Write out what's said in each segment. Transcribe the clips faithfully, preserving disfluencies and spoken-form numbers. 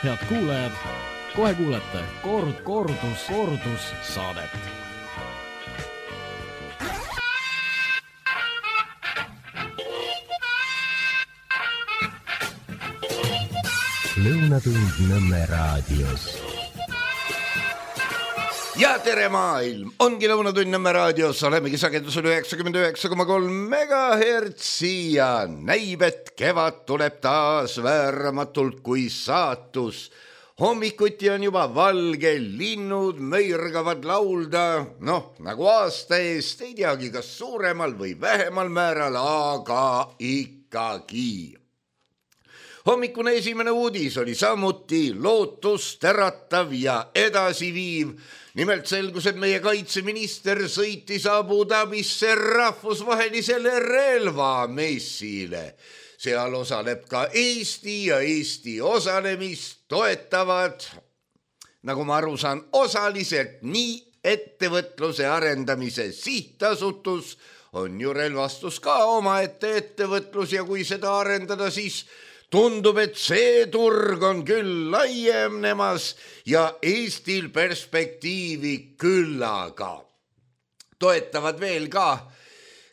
Head kuulajad, kohe kuulete kord, kordus, kordus saadet. Lõunatund Nõmme raadios. Ja tere maailm, ongi Lõunatund Nõmme raadios, olemegi sagedusel üheksakümmend üheksa koma kolm megahertsi ja näib, et kevad tuleb taas vääramatult kui saatus. Hommikuti on juba valge, linnud möirgavad laulda, noh, nagu aasta eest, ei teagi, kas suuremal või vähemal määral, aga ikkagi. Hommikune esimene uudis oli samuti lootust äratav ja edasiviiv. Nimelt selgus, et meie kaitseminister sõitis Abu Dhabisse rahvusvahelisele relvamessile. Seal osaleb ka Eesti ja Eesti osalemist toetavad, nagu ma aru saan, osaliselt nii ettevõtluse arendamise sihtasutus, on ju relvastus ka omaette ettevõtlus ja kui seda arendada, siis tundub, et see turg on küll laiemnemas ja Eestil perspektiivi küllaga. Toetavad veel ka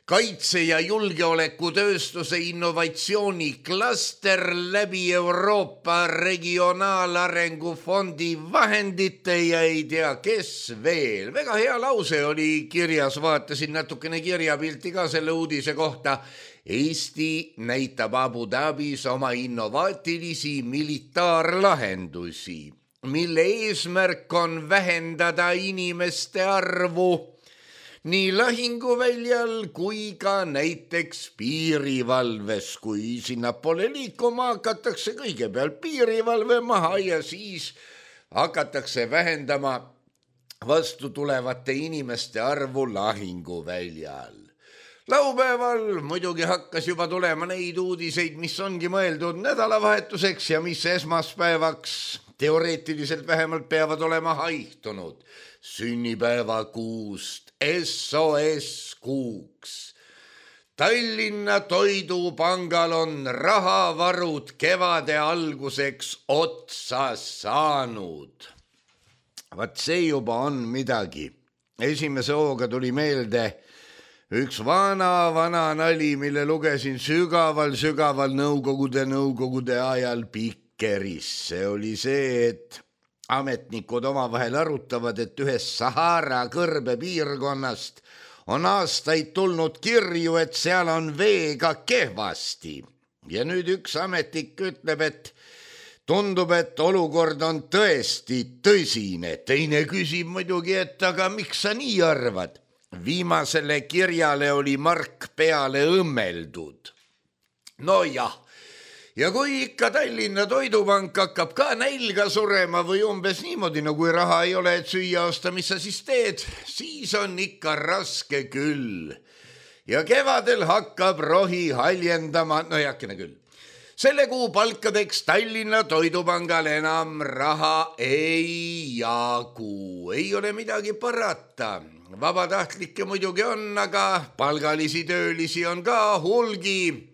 kaitse- ja julgeolekutööstuse innovatsiooniklaster läbi Euroopa Regionaalarengu Fondi vahendite ja ei tea, kes veel. Väga hea lause oli kirjas, vaatasin natukene kirjapilti ka selle uudise kohta. Eesti näitab Abu Dhabis oma innovaatilisi militaarlahendusi, mille eesmärk on vähendada inimeste arvu nii lahinguväljal kui ka näiteks piirivalves, kui sinna pole liikuma hakatakse kõigepealt piirivalve maha ja siis hakatakse vähendama vastu tulevate inimeste arvu lahinguväljal. Laupäeval muidugi hakkas juba tulema neid uudiseid, mis ongi mõeldud nädalavahetuseks ja mis esmaspäevaks teoreetiliselt vähemalt peavad olema haihtunud. Sünnipäevakuust S O S kuuks. Tallinna Toidupangal on rahavarud kevade alguseks otsa saanud. Vaat see juba on midagi. Esimese hooga tuli meelde üks vana, vana nali, mille lugesin sügaval, sügaval nõukogude, nõukogude ajal Pikkeris. See oli see, et ametnikud omavahel arutavad, et ühest Sahara kõrbe piirkonnast on aastaid tulnud kirju, et seal on veega kehvasti. Ja nüüd üks ametnik ütleb, et tundub, et olukord on tõesti tõsine. Teine küsib muidugi, et aga miks sa nii arvad? Viimasele kirjale oli mark peale õmmeldud. No jah, ja kui ikka Tallinna Toidupank hakkab ka nälga surema või umbes niimoodi, no kui raha ei ole, et süüa osta, mis sa siis teed, siis on ikka raske küll. Ja kevadel hakkab rohi haljendama, no jakene küll. Selle kuu palkadeks Tallinna Toidupangal enam raha ei jagu, ei ole midagi parata. Vabatahtlikke muidugi on, aga palgalisi töölisi on ka hulgi.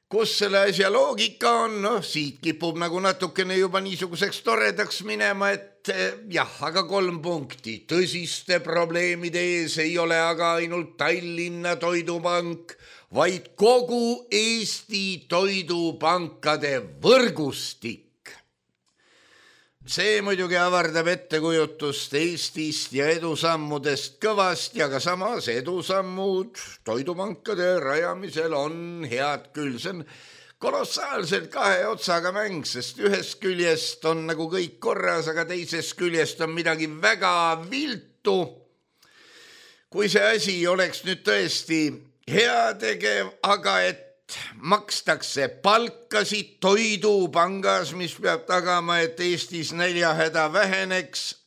Kus selle asja loogika on? No, siit kipub nagu natukene juba niisuguseks toredaks minema, et jah, aga kolm punkti. Tõsiste probleemide ees ei ole aga ainult Tallinna Toidupank, vaid kogu Eesti toidupankade võrgustik. See muidugi avardab ettekujutust Eestist ja edusammudest kõvasti, aga samas edusammud toidupankade rajamisel on head küll. See on kolossaalselt kahe otsaga mäng, sest ühest küljest on nagu kõik korras, aga teisest küljest on midagi väga viltu. Kui see asi oleks nüüd tõesti heategev, aga et makstakse palkasid toidupangas, mis peab tagama, et Eestis näljahäda väheneks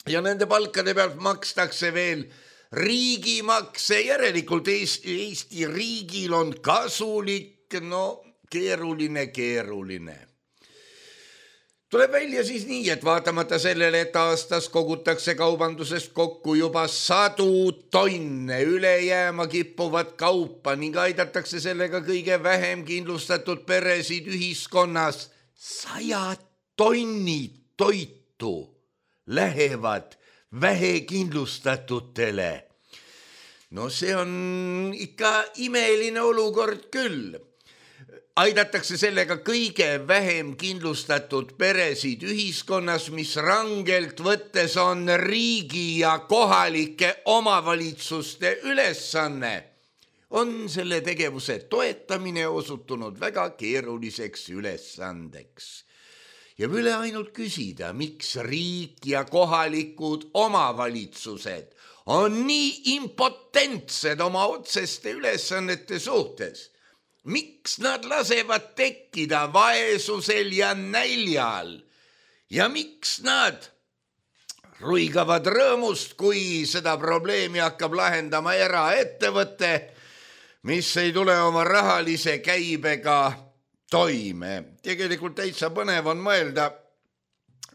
ja nende palkade pealt makstakse veel riigimakse, järelikult Eesti riigil on kasulik, no keeruline, keeruline. Tuleb välja siis nii, et vaatamata sellele, et aastas kogutakse kaubandusest kokku juba sadu tonne üle jääma kippuvat kaupa ning aidatakse sellega kõige vähem kindlustatud peresid ühiskonnas sajad tonnid toitu lähevad vähekindlustatutele. No see on ikka imeline olukord küll. Aidatakse sellega kõige vähem kindlustatud peresid ühiskonnas, mis rangelt võttes on riigi ja kohalike omavalitsuste ülesanne. On selle tegevuse toetamine osutunud väga keeruliseks ülesandeks. Ja üle ainult küsida, miks riik ja kohalikud omavalitsused on nii impotentsed oma otseste ülesannete suhtes. Miks nad lasevad tekkida vaesusel ja näljal ja miks nad ruigavad rõõmust, kui seda probleemi hakkab lahendama eraettevõte, mis ei tule oma rahalise käibega toime. Tegelikult täitsa põnev on mõelda,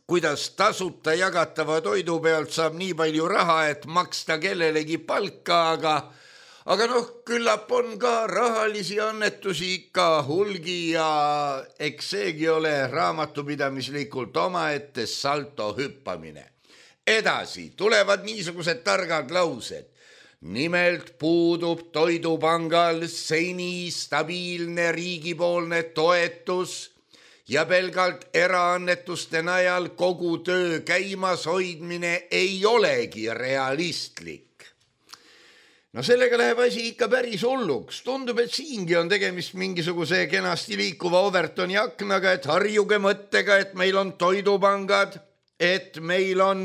kuidas tasuta jagatava toidu pealt saab nii palju raha, et maksta kellelegi palka, aga Aga noh, küllap on ka rahalisi annetusi ikka hulgi ja eks seegi ole raamatupidamislikult omaette salto hüppamine. Edasi tulevad niisugused targad laused. Nimelt puudub Toidupangal seni stabiilne riigipoolne toetus ja pelgalt eraannetuste najal kogu töö käimas hoidmine ei olegi realistlik. No sellega läheb asi ikka päris hulluks. Tundub, et siingi on tegemist mingisuguse kenasti liikuva Overtoni aknaga, et harjuge mõttega, et meil on toidupangad, et meil on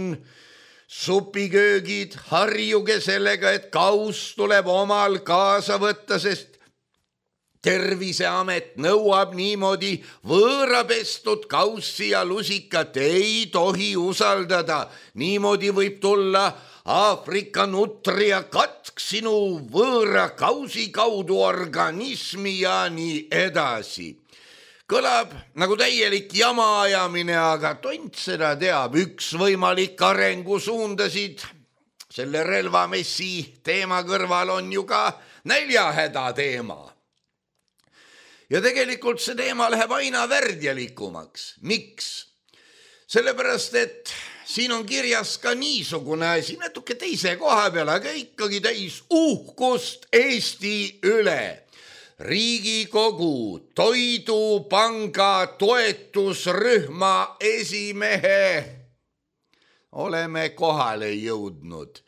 supiköögid, harjuge sellega, et kaus tuleb omal kaasa võtta, sest Terviseamet nõuab niimoodi võõrapestud kaussi ja lusikat ei tohi usaldada. Niimoodi võib tulla Aafrika nutria katk sinu võõra kausi kaudu organismi ja nii edasi. Kõlab nagu täielik jama ajamine, aga tont seda teab. Üks võimalik arengusuundasid selle relvamessi teema kõrval on ju ka näljahäda teema. Ja tegelikult see teema läheb aina värdjalikumaks. Miks? Sellepärast, et siin on kirjas ka niisugune asi, natuke teise koha peal, aga ikkagi täis uhkust Eesti üle. Riigikogu Toidupanga toetusrühma esimehe oleme kohale jõudnud.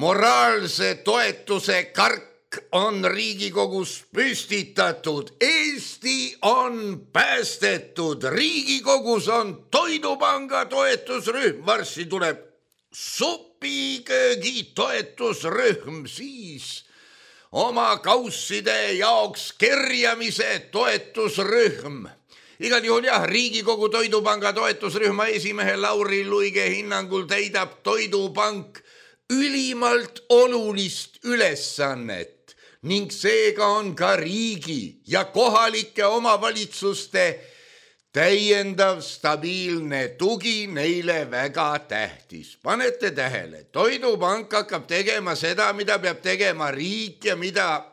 Moraalse toetuse kark on Riigikogus püstitatud. Eesti on päästetud. Riigikogus on Toidupanga toetusrühm. Varsti tuleb supiköögi toetusrühm, siis oma kausside jaoks kerjamise toetusrühm. Igal juhul jah, Riigikogu Toidupanga toetusrühma esimehe Lauri Luige hinnangul täidab Toidupank ülimalt olulist ülesannet ning seega on ka riigi ja kohalike omavalitsuste täiendav stabiilne tugi neile väga tähtis. Panete tähele, Toidupank hakkab tegema seda, mida peab tegema riik ja mida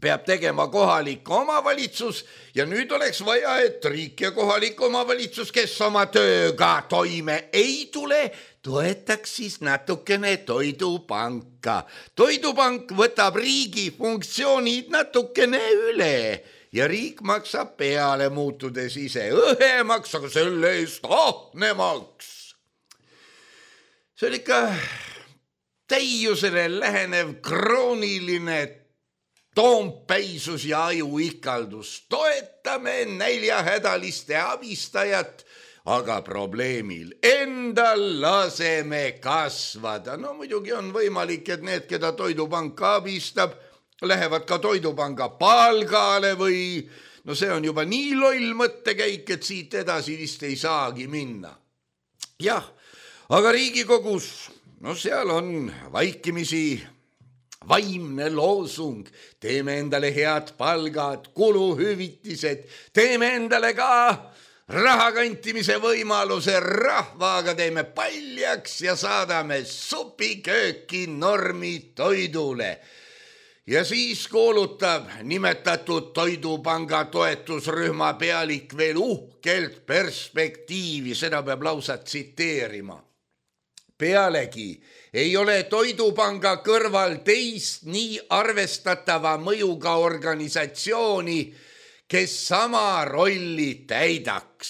peab tegema kohalik omavalitsus ja nüüd oleks vaja, et riik ja kohalik omavalitsus, kes oma tööga toime ei tule, toetaks siis natukene Toidupanka. Toidupank võtab riigi funktsioonid natukene üle ja riik maksab peale muutudes ise õhemaks, aga selle eest ahnemaks. See on ikka täiusele lähenev krooniline toompäisus ja ajuikaldus. Toetame näljahädaliste abistajat, aga probleemil endal laseme kasvada. No muidugi on võimalik, et need, keda Toidupank abistab, lähevad ka Toidupanga palgale või no see on juba nii loll mõttekäik, et siit edasi vist ei saagi minna. Jah, aga Riigikogus, no seal on vaikimisi vaimne loosung. Teeme endale head palgad, kuluhüvitised, teeme endale ka raha kantimise võimaluse, rahvaga teeme paljaks ja saadame supikööki normi toidule. Ja siis kuulutab nimetatud Toidupanga toetusrühma pealik veel uhkelt perspektiivi, seda peab lausa tsiteerima. Pealegi ei ole Toidupanga kõrval teist nii arvestatava mõjuga organisatsiooni, kes sama rolli täidaks.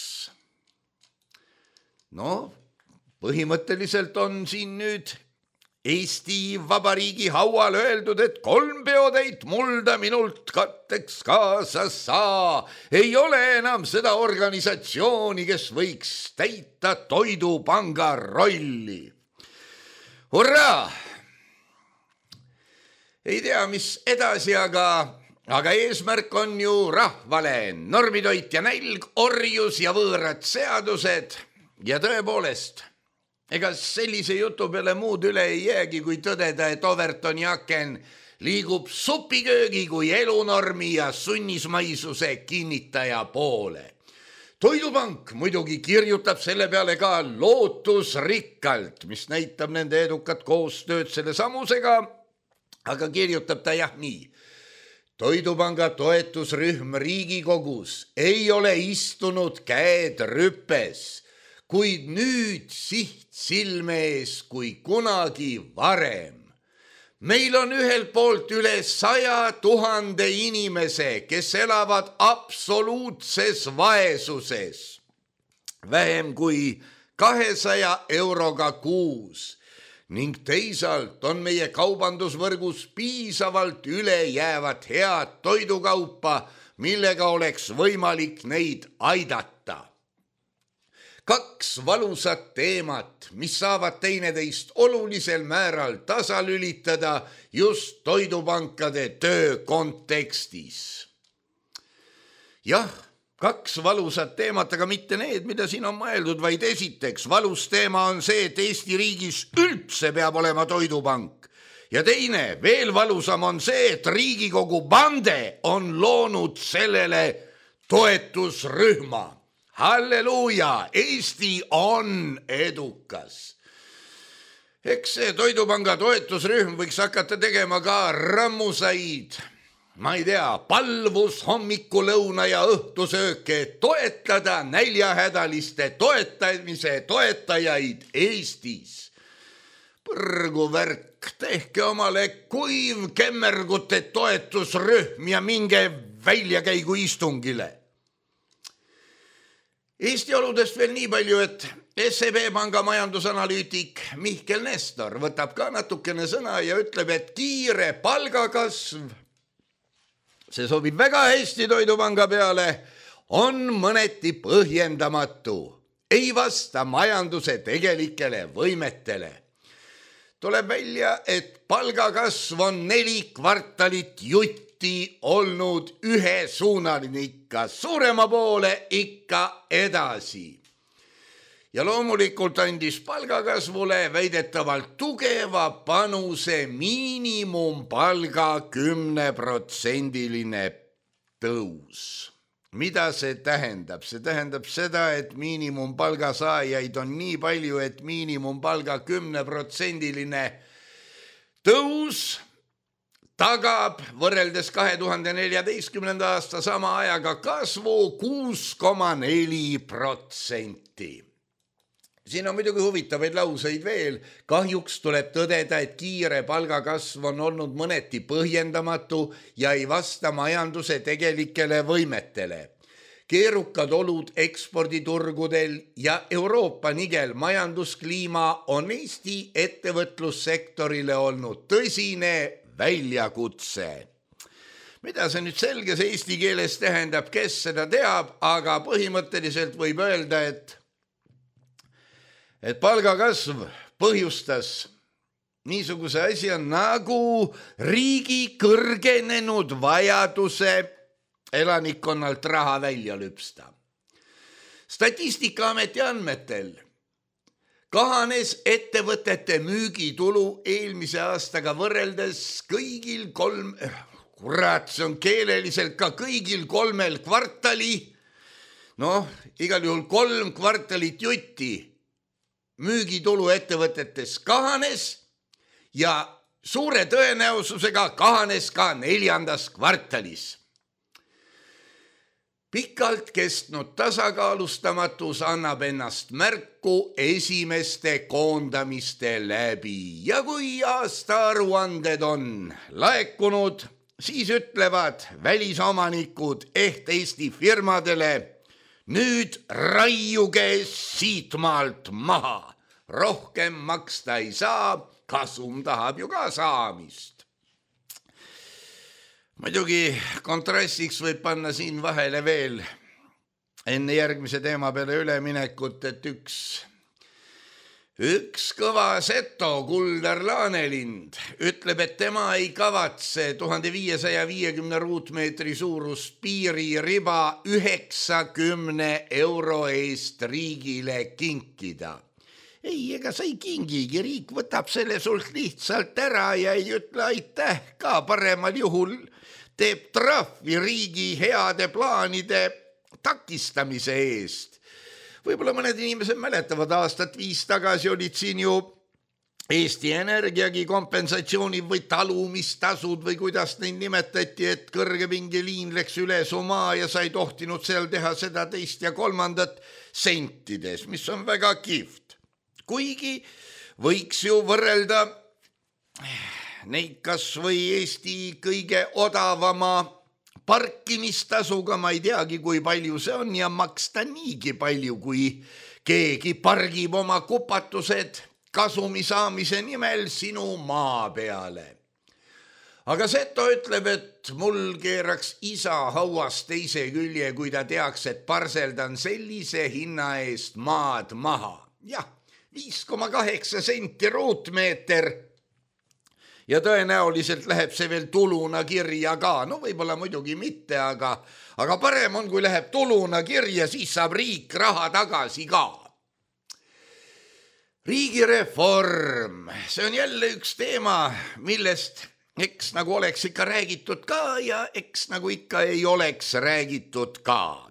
No, põhimõtteliselt on siin nüüd Eesti Vabariigi haual öeldud, et kolm peotäit mulda minult katteks kaasa saa. Ei ole enam seda organisatsiooni, kes võiks täita Toidupanga rolli. Hurraa! Ei tea, mis edasi, aga, aga eesmärk on ju rahvale. Normitoit ja nälg, orjus ja võõrad seadused ja tõepoolest, ega sellise jutu peale muud üle ei jäägi, kui tõdeda, et Overton Jaken liigub supiköögi kui elunormi ja sunnismaisuse kinnitaja poole. Toidupank muidugi kirjutab selle peale ka lootusrikkalt, mis näitab nende edukat koostööd selle samusega, aga kirjutab ta jah nii. Toidupanga toetusrühm Riigikogus ei ole istunud käed rüpes, kuid nüüd siht silme ees kui kunagi varem. Meil on ühelt poolt üle saja tuhande inimese, kes elavad absoluutses vaesuses, vähem kui kahesaja euroga kuus, ning teisalt on meie kaubandusvõrgus piisavalt ülejäävat head toidukaupa, millega oleks võimalik neid aidata. Kaks valusat teemat, mis saavad teineteist olulisel määral tasalülitada just toidupankade töö kontekstis. Jah, kaks valusat teemat, aga mitte need, mida siin on mõeldud, vaid esiteks valus teema on see, et Eesti riigis üldse peab olema toidupank. Ja teine, veel valusam on see, et Riigikogu bande on loonud sellele toetusrühma. Halleluuja, Eesti on edukas. Eks see Toidupanga toetusrühm võiks hakata tegema ka rammusaid, ma ei tea, palvus hommiku, lõuna ja õhtusööke, toetada näljahädaliste toetamise toetajaid Eestis. Põrgu värk, tehke omale kuiv kemmergute toetusrühm ja minge väljakäigu istungile. Eesti oludest veel nii palju, et S E B Panga majandusanalüütik Mihkel Nestor võtab ka natukene sõna ja ütleb, et kiire palgakasv, see sobib väga hästi Toidupanga peale, on mõneti põhjendamatu, ei vasta majanduse tegelikele võimetele. Tuleb välja, et palgakasv on neli kvartalit jutti olnud ühesuunaline ikka suurema poole, ikka edasi. Ja loomulikult andis palgakasvule väidetavalt tugeva panuse miinimumpalga kümneprotsendiline tõus. Mida see tähendab? See tähendab seda, et miinimumpalga saajaid on nii palju, et miinimumpalga kümneprotsendiline tõus tagab võrreldes kahe tuhande neljateistkümnenda aasta sama ajaga kasvu kuus koma neli protsenti. Siin on muidugi huvitavaid lauseid veel. Kahjuks tuleb tõdeda, et kiire palgakasv on olnud mõneti põhjendamatu ja ei vasta majanduse tegelikele võimetele. Keerukad olud eksporditurgudel ja Euroopa nigel majanduskliima on Eesti ettevõtlussektorile olnud tõsine väljakutse. Mida see nüüd selges eesti keeles tähendab, kes seda teab, aga põhimõtteliselt võib öelda, et, et palgakasv põhjustas niisuguse asja nagu riigi kõrgenenud vajaduse elanikkonnalt raha välja lüpsta. Statistikaameti andmetel kahanes ettevõtete müügitulu eelmise aastaga võrreldes kõigil kolm, kurat, see on keeleliselt ka kõigil kolmel kvartali, noh, igal juhul kolm kvartalit jutti müügitulu ettevõtetes kahanes ja suure tõenäosusega kahanes ka neljandas kvartalis. Pikalt kestnud tasakaalustamatus annab ennast märku esimeste koondamiste läbi ja kui aastaaruanded on laekunud, siis ütlevad välisomanikud ehk Eesti firmadele, nüüd raiuge siitmaalt maha, rohkem maksta ei saa, kasum tahab ju ka saamist. Muidugi kontrastiks võib panna siin vahele veel enne järgmise teema peale üleminekut, et üks, üks kõva seto Kuldar Laanelind ütleb, et tema ei kavatse tuhande viiesaja viiekümne ruutmeetri suurust piiririba üheksakümne euro eest riigile kinkida. Ei, ega sa ei kingigi, riik võtab selle sult lihtsalt ära ja ei ütle aitäh ka, paremal juhul teeb trahvi riigi heade plaanide takistamise eest. Võib-olla mõned inimesed mäletavad, aastat viis tagasi olid siin ju Eesti Energiagi kompensatsiooni või talumistasud või kuidas neid nimetati, et kõrgepingeliin läks üle Somaa ja sa ei tohtinud seal teha seda teist ja kolmandat sentides, mis on väga kihvt. Kuigi võiks ju võrrelda neid kas või Eesti kõige odavama parkimistasuga, ma ei teagi, kui palju see on ja maksta niigi palju, kui keegi pargib oma kupatused kasumi saamise nimel sinu maa peale. Aga Seto ütleb, et mul keeraks isa hauas teise külje, kui ta teaks, et parseldan sellise hinna eest maad maha. Jah, viis koma kaheksa senti ruutmeeter ja tõenäoliselt läheb see veel tuluna kirja ka. No võib-olla muidugi mitte, aga, aga parem on, kui läheb tuluna kirja, siis saab riik raha tagasi ka. Riigireform, see on jälle üks teema, millest eks nagu oleks ikka räägitud ka ja eks nagu ikka ei oleks räägitud ka.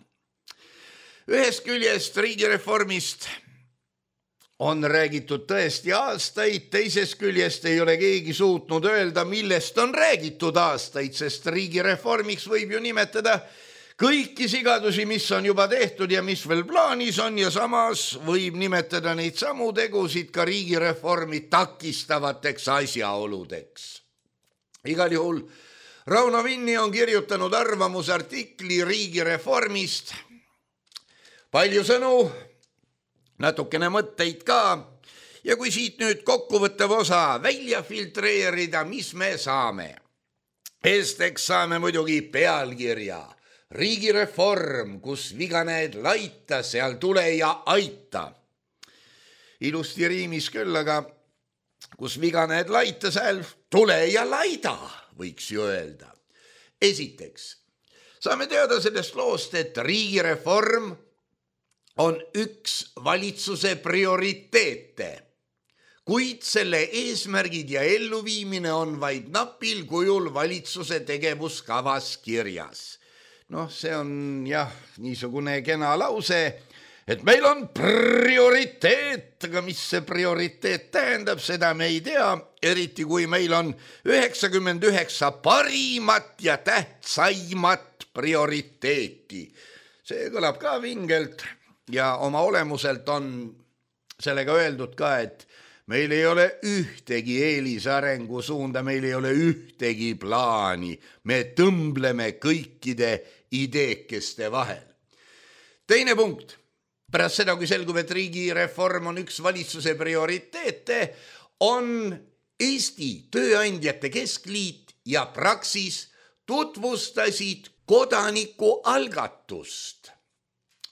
Ühest küljest riigireformist on räägitud tõesti aastaid, teisest küljest ei ole keegi suutnud öelda, millest on räägitud aastaid, sest riigireformiks võib ju nimetada kõiki sigadusi, mis on juba tehtud ja mis veel plaanis on ja samas võib nimetada neid samu tegusid ka riigireformi takistavateks asjaoludeks. Igal juhul Rauno Vinni on kirjutanud arvamusartikli riigireformist. Palju sõnu, natukene mõtteid ka ja kui siit nüüd kokkuvõttev osa välja filtreerida, mis me saame? Esiteks saame muidugi pealkirja Riigireform, kus viga näed laita, seal tule ja aita. Ilusti riimis küll, aga kus viga näed laita, seal tule ja laida, võiks ju öelda. Esiteks saame teada sellest loost, et riigireform on üks valitsuse prioriteete, kuid selle eesmärgid ja elluviimine on vaid napil kujul valitsuse tegevuskavas kirjas. Noh, see on jah, niisugune kena lause, et meil on prioriteet, aga mis see prioriteet tähendab, seda me ei tea, eriti kui meil on üheksakümmend üheksa parimat ja tähtsaimat prioriteeti. See kõlab ka vingelt. Ja oma olemuselt on sellega öeldud ka, et meil ei ole ühtegi eelisarengu suunda, meil ei ole ühtegi plaani. Me tõmbleme kõikide ideekeste vahel. Teine punkt. Pärast seda, kui selgub, et riigireform on üks valitsuse prioriteete, on Eesti Tööandjate Keskliit ja Praxis tutvustasid kodanikualgatust,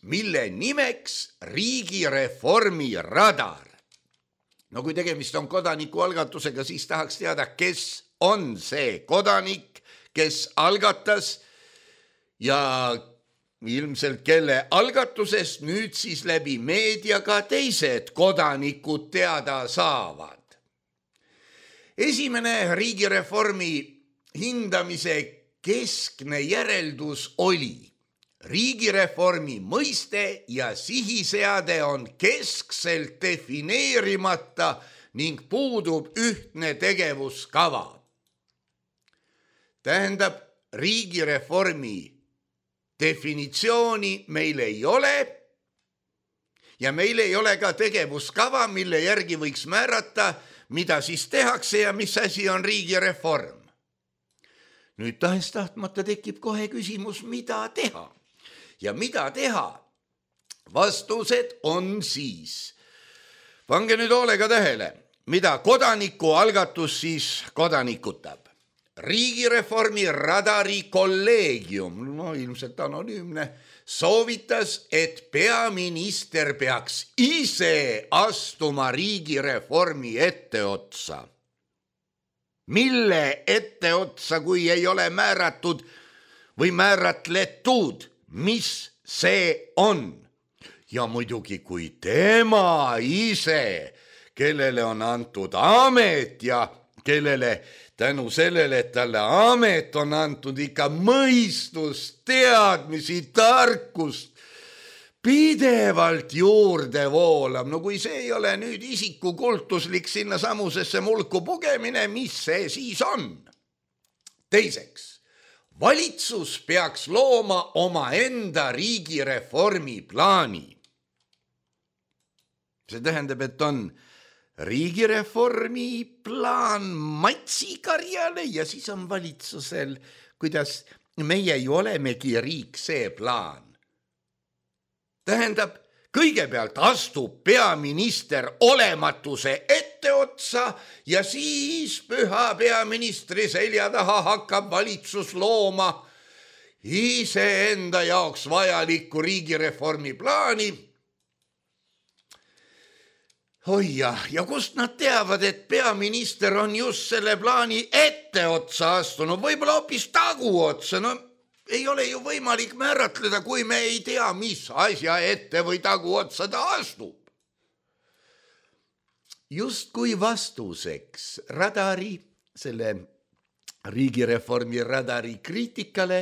mille nimeks riigireformi radar. No kui tegemist on kodanikualgatusega, siis tahaks teada, kes on see kodanik, kes algatas ja ilmselt kelle algatusest nüüd siis läbi meedia ka teised kodanikud teada saavad. Esimene riigireformi hindamise keskne järeldus oli: riigireformi mõiste ja sihiseade on keskselt defineerimata ning puudub ühtne tegevuskava. Tähendab, riigireformi definitsiooni meil ei ole ja meil ei ole ka tegevuskava, mille järgi võiks määrata, mida siis tehakse ja mis asi on riigireform. Nüüd tahes-tahtmata tekib kohe küsimus, mida teha. Ja mida teha? Vastused on siis. Pange nüüd hoolega tähele, mida kodaniku algatus siis kodanikutab. Riigireformi radari kolleegium, no ilmselt anonüümne, soovitas, et peaminister peaks ise astuma riigireformi etteotsa. Mille etteotsa, kui ei ole määratud või määratletud, mis see on? Ja muidugi, kui tema ise, kellele on antud amet ja kellele tänu sellele, et talle amet on antud ikka mõistust, teadmisi, tarkust, pidevalt juurde voolab. No kui see ei ole nüüd isiku kultuslik sinna samusesse mulku pugemine, mis see siis on? Teiseks, valitsus peaks looma oma enda riigireformi plaani. See tähendab, et on riigireformi plaan Matsi karjale ja siis on valitsusel, kuidas meie ju olemegi riik, see plaan. Tähendab, kõigepealt astub peaminister olematuse etteotsa ja siis püha peaministri selja taha hakkab valitsus looma iseenda jaoks vajalikku riigireformi plaani. Hoia, ja kust nad teavad, et peaminister on just selle plaani etteotsa astunud, võib-olla hoopis taguotsa, no ei ole ju võimalik määratleda, kui me ei tea, mis asja ette või taguotsa ta astub. Just kui vastuseks radari, selle riigireformi radari kriitikale,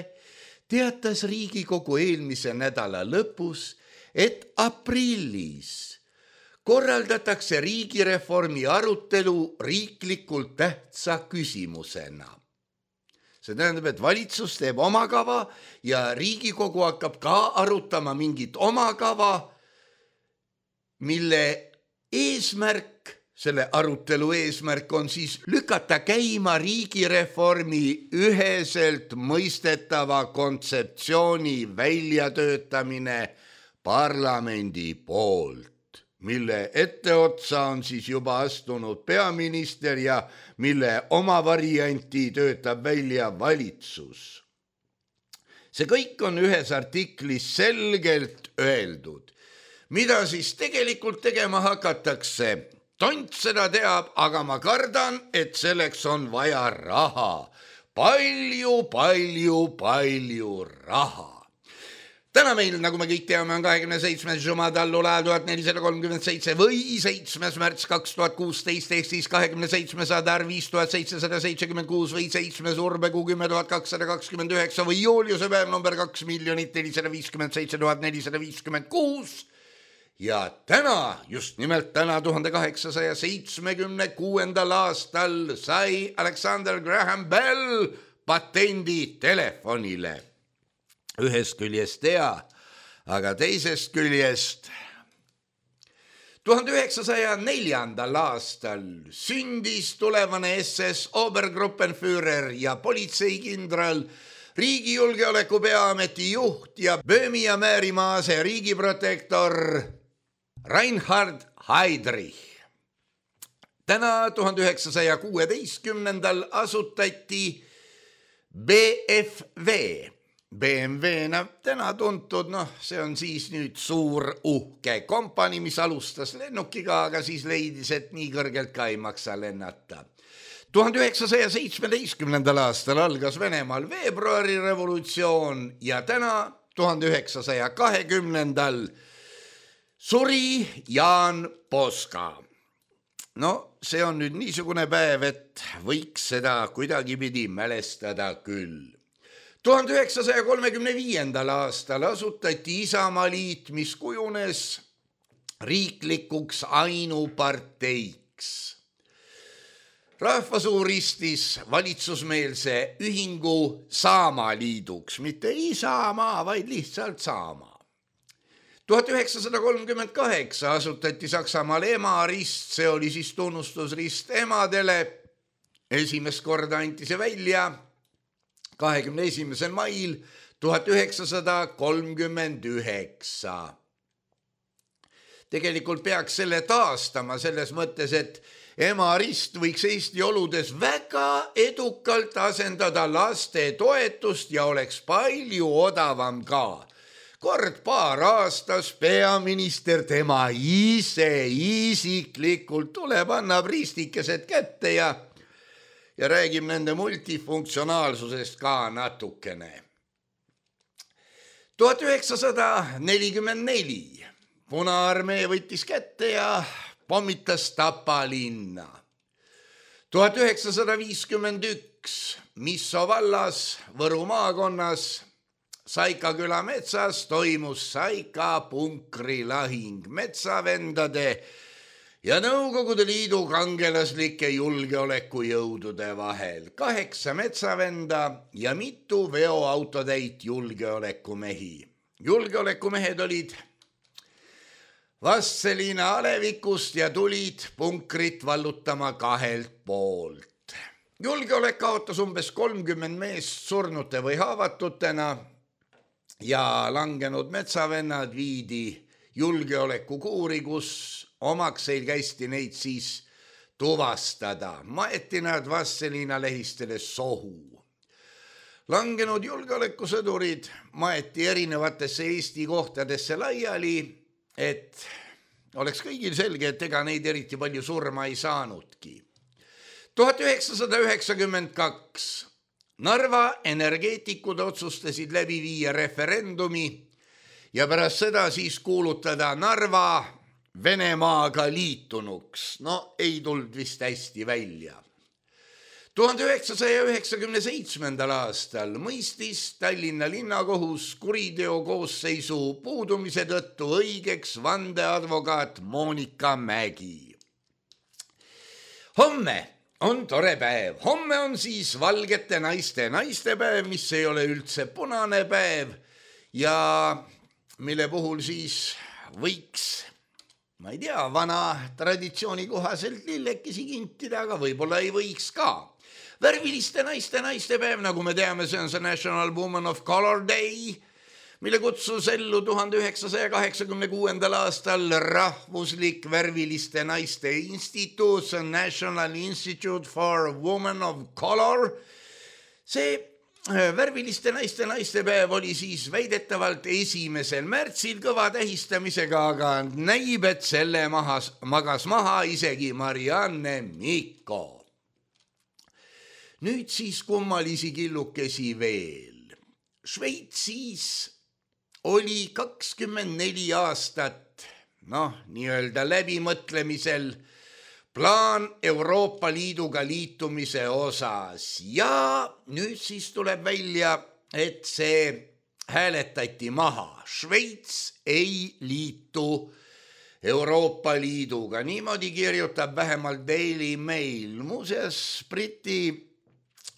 teatas Riigikogu eelmise nädala lõpus, et aprillis korraldatakse riigireformi arutelu riiklikult tähtsa küsimusena. See tähendab, et valitsus teeb oma kava ja Riigikogu hakkab ka arutama mingit oma kava, mille eesmärk, selle arutelu eesmärk on siis lükata käima riigireformi üheselt mõistetava kontseptsiooni väljatöötamine parlamendi poolt, mille etteotsa on siis juba astunud peaminister ja mille oma varianti töötab välja valitsus. See kõik on ühes artiklis selgelt öeldud. Mida siis tegelikult tegema hakatakse? Tont seda teab, aga ma kardan, et selleks on vaja raha. Palju, palju, palju raha. Täna meil, nagu me kõik teame, on kahekümne seitsmes Jumadallula tuhat nelisada kolmkümmend seitse või seitsmes märts kaks tuhat kuusteist ehk siis kahekümne seitsmes Adar viis tuhat seitsesada seitsekümmend kuus või seitsmes Urbekuu kümme tuhat kakssada kakskümmend üheksa või Juliuse päev number kaks miljonit nelisada viiskümmend seitse tuhat nelisada viiskümmend kuus. Ja täna, just nimelt täna tuhande kaheksasaja seitsmekümne kuuendal aastal sai Alexander Graham Bell patendi telefonile. Ühest küljest hea, aga teisest küljest tuhande üheksasaja neljandal aastal sündis tulevane S S Obergruppenführer ja politseikindral, riigijulgeoleku peaameti juht ja Böömi ja Määrimaa ase riigiprotektor Reinhard Heydrich. Täna tuhande üheksasaja kuueteistkümnendal asutati B F V. B M W-na täna tuntud, noh, see on siis nüüd suur uhke kompani, mis alustas lennukiga, aga siis leidis, et nii kõrgelt ka ei maksa lennata. tuhande üheksasaja seitsmeteistkümnendal aastal algas Venemaal veebruari revolutsioon ja täna tuhande üheksasaja kahekümnendal suri Jaan Poska. No, see on nüüd niisugune päev, et võiks seda kuidagipidi mälestada küll. tuhande üheksasaja kolmekümne viiendal aastal asutati Isamaaliit, mis kujunes riiklikuks ainuparteiks. Rahvasuu ristis valitsusmeelse ühingu Saamaliiduks, mitte Isamaa, vaid lihtsalt Saamaa. tuhat üheksasada kolmkümmend kaheksa asutati Saksamaal emarist, see oli siis tunnustusrist emadele. Esimest korda anti see välja kahekümne esimesel mail tuhat üheksasada kolmkümmend üheksa. Tegelikult peaks selle taastama selles mõttes, et emarist võiks Eesti oludes väga edukalt asendada laste toetust ja oleks palju odavam ka. Kord paar aastas peaminister tema ise isiklikult tuleb, annab ristikesed kätte ja, ja räägib nende multifunktsionaalsusest ka natukene. tuhat üheksasada nelikümmend neli Punaarmee võttis kätte ja pommitas Tapa linna. tuhat üheksasada viiskümmend üks Misso vallas Võru maakonnas Saika küla metsas toimus Saika punkrilahing metsavendade ja Nõukogude Liidu kangelaslike julgeolekujõudude vahel. Kaheksa metsavenda ja mitu veoautotäit julgeolekumehi. Julgeolekumehed olid Vastseliina alevikust ja tulid punkrit vallutama kahelt poolt. Julgeolek kaotas umbes kolmkümmend meest surnute või haavatutena ja langenud metsavennad viidi julgeolekukuuri, kus omakseil käisti neid siis tuvastada. Maeti nad Vastseliina lehistele sohu. Langenud julgeolekusõdurid maeti erinevatesse Eesti kohtadesse laiali, et oleks kõigil selge, et ega neid eriti palju surma ei saanudki. tuhat üheksasada üheksakümmend kaks Narva energeetikud otsustasid läbi viia referendumi ja pärast seda siis kuulutada Narva Venemaaga liitunuks. No ei tulnud vist hästi välja. tuhande üheksasaja üheksakümne seitsmendal aastal mõistis Tallinna linnakohus kuriteo koosseisu puudumise tõttu õigeks vandeadvokaat Monika Mägi. Homme on tore päev. Homme on siis valgete naiste naistepäev, mis ei ole üldse punane päev ja mille puhul siis võiks, ma ei tea, vana traditsiooni kohaselt lillekesi kintida, aga võib-olla ei võiks ka. Värviliste naiste naistepäev, nagu me teame, see on see National Woman of Color Day, mille kutsus ellu tuhande üheksasaja kaheksakümne kuuendal aastal rahvuslik värviliste naiste instituut, National Institute for Women of Color. See värviliste naiste naistepäev oli siis väidetavalt esimesel märtsil kõva tähistamisega, aga näib, et selle mahas, magas maha isegi Marianne Mikko. Nüüd siis kummalisi killukesi veel. Šveitsis oli kakskümmend neli aastat, noh, nii-öelda läbimõtlemisel plaan Euroopa Liiduga liitumise osas ja nüüd siis tuleb välja, et see hääletati maha. Šveits ei liitu Euroopa Liiduga. Niimoodi kirjutab vähemalt Daily Mail. Muuseas, Briti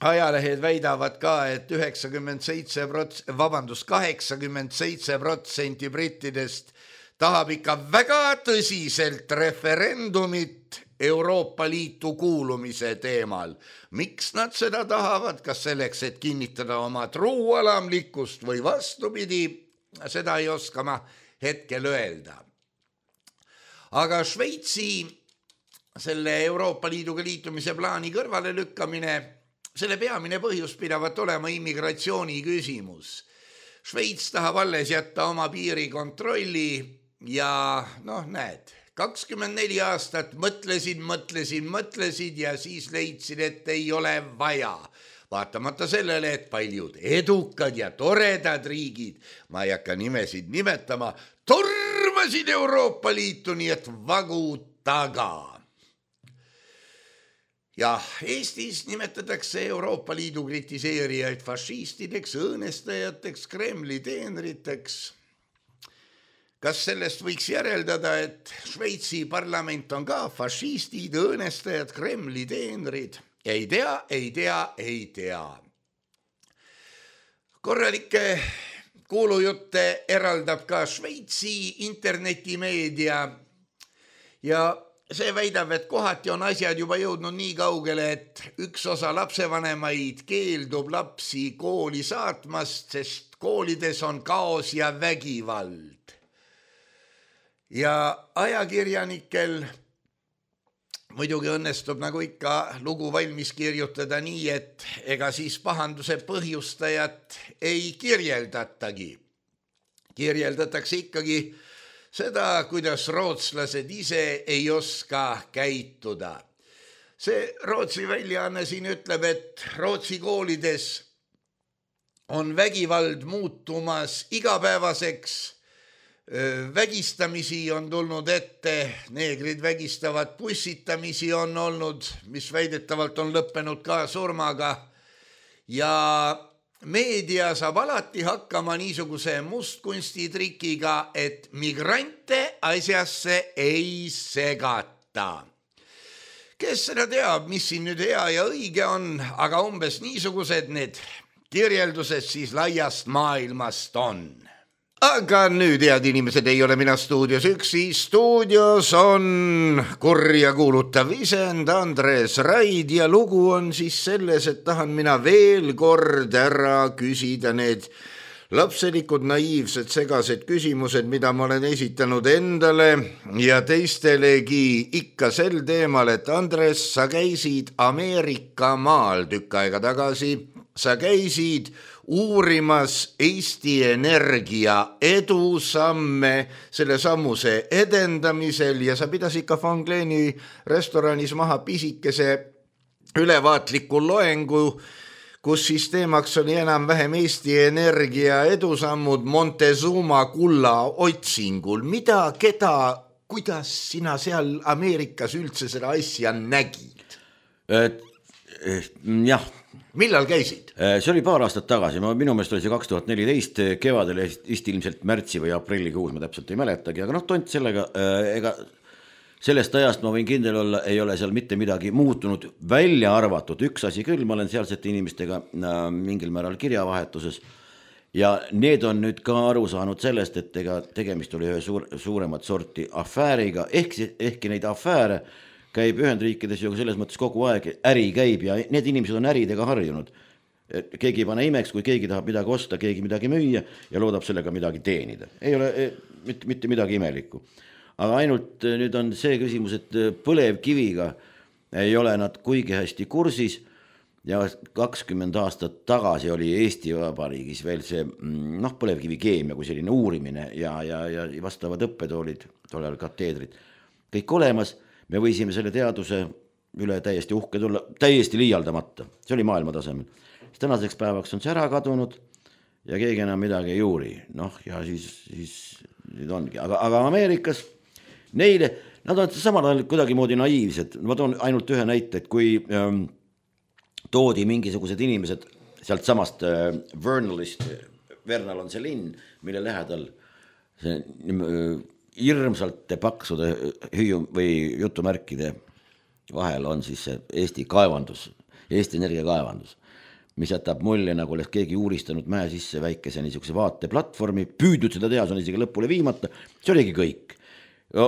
ajalehed väidavad ka, et üheksakümmend seitse prots-, vabandust, kaheksakümmend seitse protsenti brittidest tahab ikka väga tõsiselt referendumit Euroopa Liitu kuulumise teemal. Miks nad seda tahavad? Kas selleks, et kinnitada oma truualamlikkust või vastupidi? Seda ei oska ma hetkel öelda. Aga Šveitsi selle Euroopa Liiduga liitumise plaani kõrvale lükkamine, selle peamine põhjus pidavat olema immigratsiooni küsimus. Šveits tahab alles jätta oma piirikontrolli ja noh, näed, kakskümmend neli aastat mõtlesid, mõtlesid, mõtlesid ja siis leidsid, et ei ole vaja. Vaatamata sellele, et paljud edukad ja toredad riigid, ma ei hakka nimesid nimetama, tormasid Euroopa Liitu, nii et vagu taga. Jah, Eestis nimetatakse Euroopa Liidu kritiseerijaid fašistideks, õõnestajateks, Kremli teenriteks. kas sellest võiks järeldada, et Šveitsi parlament on ka fašistid, õõnestajad, Kremli teenrid? Ei tea, ei tea, ei tea. Korralikke kuulujutte eraldab ka Šveitsi internetimeedia ja see väidab, et kohati on asjad juba jõudnud nii kaugele, et üks osa lapsevanemaid keeldub lapsi kooli saatmast, sest koolides on kaos ja vägivald. Ja ajakirjanikel muidugi õnnestub nagu ikka lugu valmis kirjutada nii, et ega siis pahanduse põhjustajat ei kirjeldatagi. Kirjeldatakse ikkagi seda, kuidas rootslased ise ei oska käituda. See Rootsi väljaanne siin ütleb, et Rootsi koolides on vägivald muutumas igapäevaseks. Vägistamisi on tulnud ette, neegrid vägistavad, pussitamisi on olnud, mis väidetavalt on lõppenud ka surmaga ja meedia saab alati hakkama niisuguse mustkunstitrikiga, et migrante asjasse ei segata. Kes seda teab, mis siin nüüd hea ja õige on, aga umbes niisugused need kirjeldused siis laiast maailmast on. Aga nüüd, head inimesed, ei ole mina stuudios üksi. Stuudios on kurja kuulutav isend Andres Raid ja lugu on siis selles, et tahan mina veel kord ära küsida need lapselikud, naiivsed, segased küsimused, mida ma olen esitanud endale ja teistelegi ikka sel teemal, et Andres, sa käisid Ameerika maal tükk aega tagasi, sa käisid uurimas Eesti Energia edusamme selle sammuse edendamisel ja sa pidasid ka Van Gleeni restoranis maha pisikese ülevaatliku loengu, kus siis teemaks oli enam-vähem Eesti Energia edusammud Montezuma kulla otsingul. Mida, keda, kuidas sina seal Ameerikas üldse seda asja nägid? Et, jah. Millal käisid? See oli paar aastat tagasi, ma, minu meelest oli see kaks tuhat neliteist kevadel, vist ilmselt märtsi või aprillikuus, ma täpselt ei mäletagi, aga noh, tont sellega, ega sellest ajast ma võin kindel olla, ei ole seal mitte midagi muutunud, välja arvatud üks asi küll, ma olen sealsete inimestega mingil määral kirjavahetuses ja need on nüüd ka aru saanud sellest, et ega tegemist oli ühe suur, suuremat sorti afääriga, ehk, ehkki neid afääre käib Ühendriikides ju selles mõttes kogu aeg, äri käib ja need inimesed on äridega harjunud. Keegi ei pane imeks, kui keegi tahab midagi osta, keegi midagi müüa ja loodab sellega midagi teenida. Ei ole mitte, mitte midagi imelikku. Aga ainult nüüd on see küsimus, et põlevkiviga ei ole nad kuigi hästi kursis ja kakskümmend aastat tagasi oli Eesti Vabariigis veel see noh, põlevkivikeemia kui selline uurimine ja, ja, ja vastavad õppetoolid, tollel kateedrid, kõik olemas. Me võisime selle teaduse üle täiesti uhke tulla, täiesti liialdamata. See oli maailma tasemel. Tänaseks päevaks on see ära kadunud ja keegi enam midagi ei uuri. Noh, ja siis, siis nüüd ongi. Aga, aga Ameerikas neile, nad on samal ajal kuidagi moodi naiivsed. Ma toon ainult ühe näite, et kui ähm, toodi mingisugused inimesed sealt samast äh, Vernalist, Vernal on see linn, mille lähedal see äh, hirmsalt paksude hüüu või jutumärkide vahel on siis see Eesti kaevandus, Eesti Energia kaevandus, mis jätab mulje, nagu oleks keegi uuristanud mäe sisse väikese niisuguse vaateplatvormi, püüdnud seda teha, see on isegi lõpule viimata, see oligi kõik.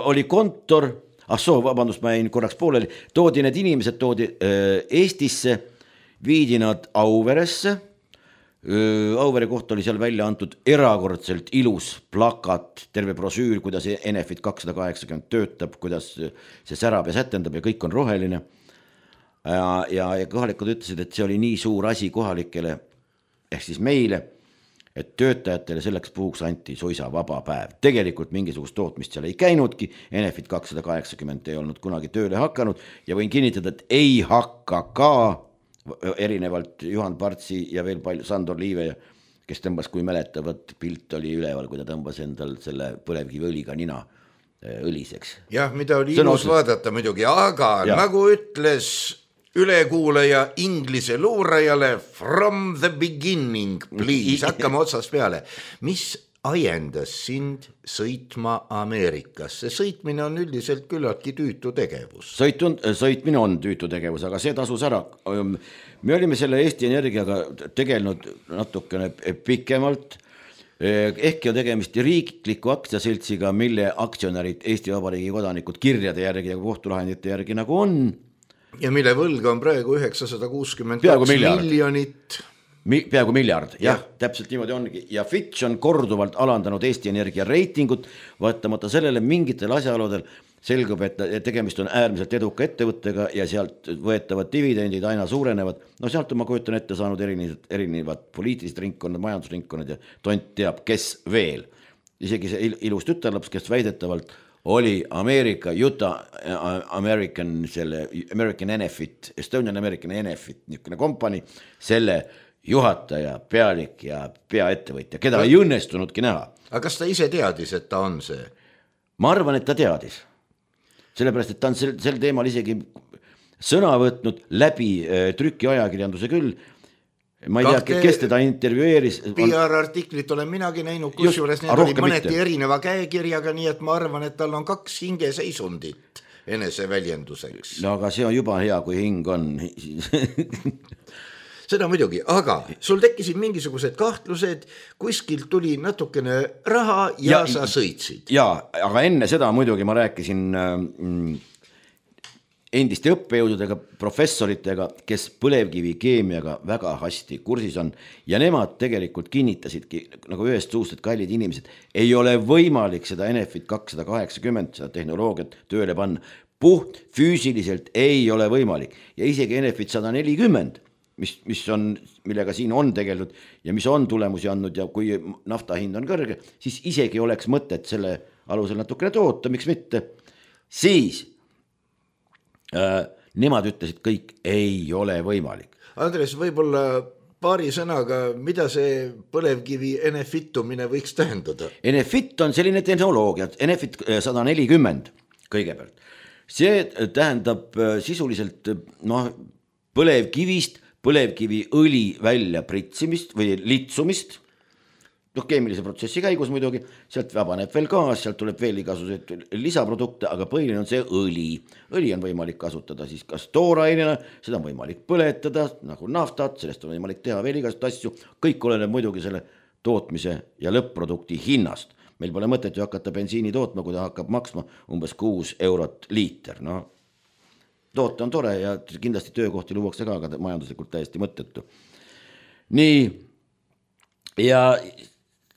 Oli kontor, ah soo, vabandust, ma jäin korraks pooleli, toodi need inimesed, toodi Eestisse, viidi nad Auveresse, Auvere kohta oli seal välja antud erakordselt ilus plakat, terve brosüür, kuidas Enefit kakssada kaheksakümmend töötab, kuidas see särab ja sätendab ja kõik on roheline. Ja, ja, ja kohalikud ütlesid, et see oli nii suur asi kohalikele, ehk siis meile, et töötajatele selleks puhuks anti suisa vaba päev. Tegelikult mingisugust tootmist seal ei käinudki, Enefit kakssada kaheksakümmend ei olnud kunagi tööle hakanud ja võin kinnitada, et ei hakka ka erinevalt Juhan Partsi ja veel palju Sandor Liive, kes tõmbas, kui mäletavad, pilt oli üleval, kui ta tõmbas endal selle põlevkiviõliga nina õliseks. Jah, mida oli ilus vaadata muidugi, aga ja. Nagu ütles ülekuulaja inglise luurajale from the beginning, please, hakkame otsast peale. Mis ajendas sind sõitma Ameerikasse? Sõitmine on üldiselt küllaltki tüütu tegevus. Sõitun, sõitmine on tüütu tegevus, aga see tasus ära. Me olime selle Eesti Energiaga tegelenud natukene pikemalt, ehkki on tegemist riikliku aktsiaseltsiga, mille aktsionärid Eesti Vabariigi kodanikud kirjade järgi ja kohtulahendite järgi nagu on. Ja mille võlg on praegu üheksasada kuuskümmend kaks miljonit. Mi, peaaegu miljard, jah, ja. Täpselt niimoodi ongi. Ja Fitch on korduvalt alandanud Eesti Energia reitingut, vaatamata sellele mingitel asjaoludel selgub, et tegemist on äärmiselt eduka ettevõttega ja sealt võetavad dividendid aina suurenevad. No sealt on ma kujutan ette saanud erinevad, erinevad poliitilised ringkonnad, majandusringkonnad ja tont teab, kes veel. Isegi see ilus tütarlaps, kes väidetavalt oli Ameerika, Utah American, selle American Enefit, Estonian American Enefit, niisugune kompani, selle juhataja, pealik ja peaettevõtja, keda ei õnnestunudki näha. Aga kas ta ise teadis, et ta on see? Ma arvan, et ta teadis. Sellepärast, et ta on sel, sel teemal isegi sõna võtnud läbi äh, trükiajakirjanduse küll. Ma ei Kahte tea, kes teda intervjueeris. P R-artiklit olen minagi näinud, kus juures need oli mõneti mitte. Erineva käekirjaga, nii et ma arvan, et tal on kaks hingeseisundit enese väljenduseks. No aga see on juba hea, kui hing on. Seda muidugi, aga sul tekkisid mingisugused kahtlused, kuskilt tuli natukene raha ja, ja sa sõitsid. Ja, aga enne seda muidugi ma rääkisin mm, endiste õppejõududega, professoritega, kes põlevkivi keemiaga väga hästi kursis on ja nemad tegelikult kinnitasidki nagu ühest suust, et kallid inimesed, ei ole võimalik seda Enefit kakssada kaheksakümmend, seda tehnoloogiat tööle panna. Puht füüsiliselt ei ole võimalik ja isegi Enefit sada nelikümmend Mis, mis on, millega siin on tegelenud ja mis on tulemusi andnud ja kui nafta hind on kõrge, siis isegi oleks mõtet selle alusel natukene toota, miks mitte. Siis äh, nemad ütlesid kõik, ei ole võimalik. Andres, võib-olla paari sõnaga, mida see põlevkivi Enefitumine võiks tähendada? Enefit on selline tehnoloogia, Enefit sada nelikümmend kõigepealt. See tähendab sisuliselt no, põlevkivist põlevkivi õli välja pritsimist või litsumist, noh keemilise protsessi käigus muidugi, sealt vabaneb veel gaas, sealt tuleb veel igasuguseid lisaprodukte, aga põhiline on see õli. Õli on võimalik kasutada siis kas toorainena, seda on võimalik põletada nagu naftat, sellest on võimalik teha veel igasuguseid asju, kõik oleneb muidugi selle tootmise ja lõpp-produkti hinnast. Meil pole mõtet ju hakata bensiini tootma, kui ta hakkab maksma umbes kuus eurot liiter, noh. Toote on tore ja kindlasti töökohti luuakse ka, aga majanduslikult täiesti mõttetu. Nii, ja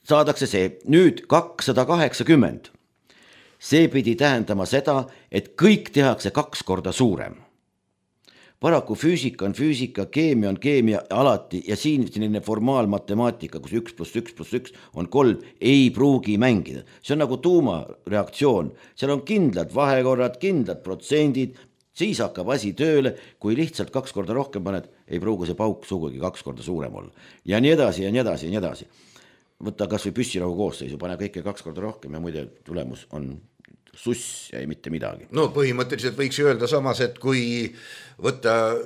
saadakse see nüüd kakssada kaheksakümmend. See pidi tähendama seda, et kõik tehakse kaks korda suurem. Paraku füüsika on füüsika, keemia on keemia alati ja siin selline formaalmatemaatika, kus üks pluss üks pluss üks on kolm, ei pruugi mängida. See on nagu tuumareaktsioon. Seal on kindlad vahekorrad, kindlad protsendid, siis hakkab asi tööle, kui lihtsalt kaks korda rohkem paned, ei pruugu see pauk sugugi kaks korda suurem olla. Ja nii edasi ja nii edasi ja nii edasi. Võtta kas või püssirahu koosseisu, pane kõike kaks korda rohkem ja muide tulemus on suss ja ei mitte midagi. No põhimõtteliselt võiks öelda samas, et kui võtta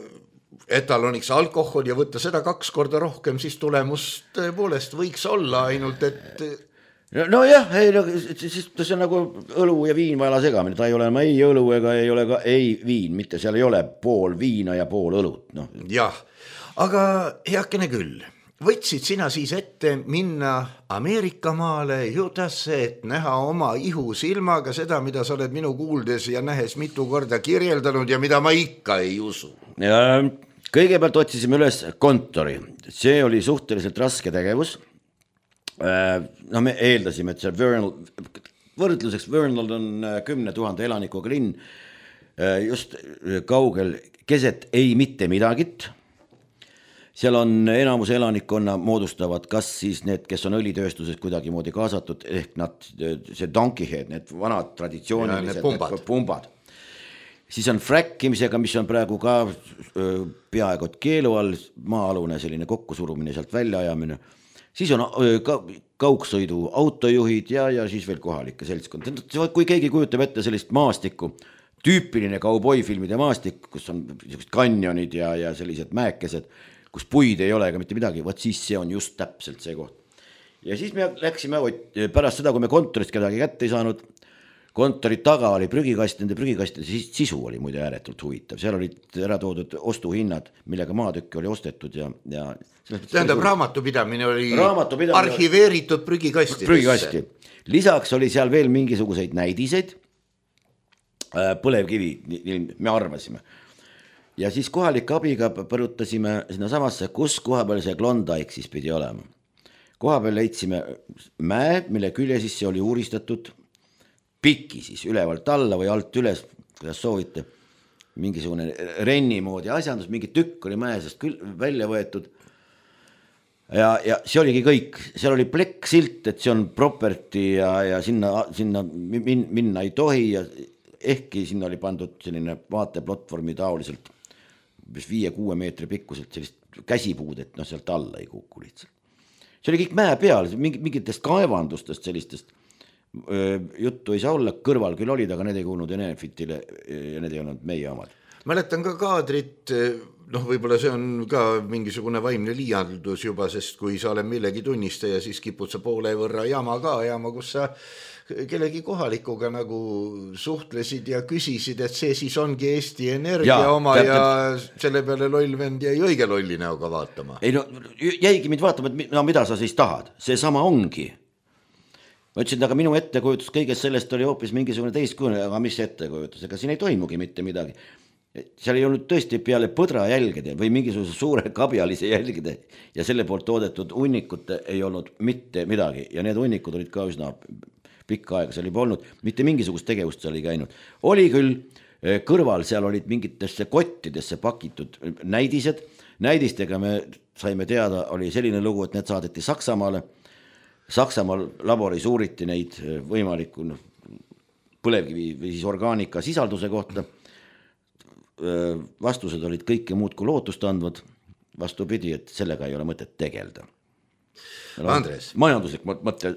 etaloniks alkohol ja võtta seda kaks korda rohkem, siis tulemus tõepoolest võiks olla ainult, et no jah, ei, no, siis see on nagu õlu ja viin vaja segamine, ta ei ole ei õlu ega ei ole ka ei viin, mitte seal ei ole pool viina ja pool õlut. No. Jah, aga heakene küll, võtsid sina siis ette minna Ameerika maale Utah'sse, et näha oma ihu silmaga seda, mida sa oled minu kuuldes ja nähes mitu korda kirjeldanud ja mida ma ikka ei usu. Ja kõigepealt otsisime üles kontori, see oli suhteliselt raske tegevus. No me eeldasime, et see Vernal, võrdluseks Vernal on kümne tuhande elanikuga linn, just kaugel keset ei mitte midagit. Seal on enamus elanikkonna moodustavad kas siis need, kes on õlitööstuses kuidagi moodi kaasatud, ehk nad, see donkeyhead, need vanad traditsioonilised pumbad. pumbad. Siis on frackimisega, mis on praegu ka peaaegu keelu all, maa-alune selline kokkusurumine, sealt välja ajamine. Siis on ka kaugsõidu autojuhid ja, ja siis veel kohalike seltskond. Kui keegi kujutab ette sellist maastikku, tüüpiline kauboifilmide maastik, kus on kanjonid ja, ja sellised mäekesed, kus puid ei ole ega mitte midagi, võt siis see on just täpselt see koht. ja siis me läksime pärast seda, kui me kontorist kedagi kätte ei saanud, kontori taga oli prügikast, nende prügikastide sisu oli muide ääretult huvitav, seal olid ära toodud ostuhinnad, millega maatükki oli ostetud ja, ja tähendab, raamatupidamine oli raamatupidamine arhiveeritud prügikastidesse. Prügikasti. Lisaks oli seal veel mingisuguseid näidiseid, põlevkivi, me arvasime. Ja siis kohalike abiga põrutasime sinna samasse, kus koha peal see Klondike siis pidi olema. Koha peal leidsime mäe, mille külje sisse oli uuristatud piki siis ülevalt alla või alt üles, kuidas soovite, mingisugune renni moodi asjandus, mingi tükk oli mäesest küll välja võetud ja, ja see oligi kõik, seal oli plekk silt, et see on property ja, ja sinna, sinna min, minna ei tohi ja ehkki sinna oli pandud selline vaateplatvormi taoliselt viie-kuue meetri pikkuselt sellist käsipuud, et no sealt alla ei kuku lihtsalt. See oli kõik mäe peal, mingitest kaevandustest sellistest juttu ei saa olla, kõrval küll olid, aga need ei kuulnud Enefitile ja need ei olnud meie omad. Mäletan ka kaadrit, noh võib-olla see on ka mingisugune vaimne liialdus juba, sest kui sa oled millegi tunnistaja, siis kipud sa poole võrra jama ka, jama, kus sa kellegi kohalikuga nagu suhtlesid ja küsisid, et see siis ongi Eesti Energia ja, oma täpselt. Ja selle peale lollvend jäi õige lolli näoga vaatama. Ei no, jäigi mind vaatama, et no, mida sa siis tahad, see sama ongi. Ma ütlesin, aga minu ettekujutus kõigest sellest oli hoopis mingisugune teistkujune, aga mis ettekujutus, ega siin ei toimugi mitte midagi. Seal ei olnud tõesti peale põdra jälgede või mingisuguse suure kabjalise jälgede ja selle poolt toodetud hunnikute ei olnud mitte midagi ja need hunnikud olid ka üsna pikka aega, seal ei olnud, mitte mingisugust tegevust seal ei käinud. Oli küll kõrval, seal olid mingitesse kottidesse pakitud näidised, näidistega me saime teada, oli selline lugu, et need saadeti Saksamaale. Saksamaal laboris uuriti neid võimaliku no, põlevkivi või siis orgaanika sisalduse kohta. Vastused olid kõike muud kui lootust andvad, vastupidi, et sellega ei ole mõtet tegelda. Andres, majanduslik mõte.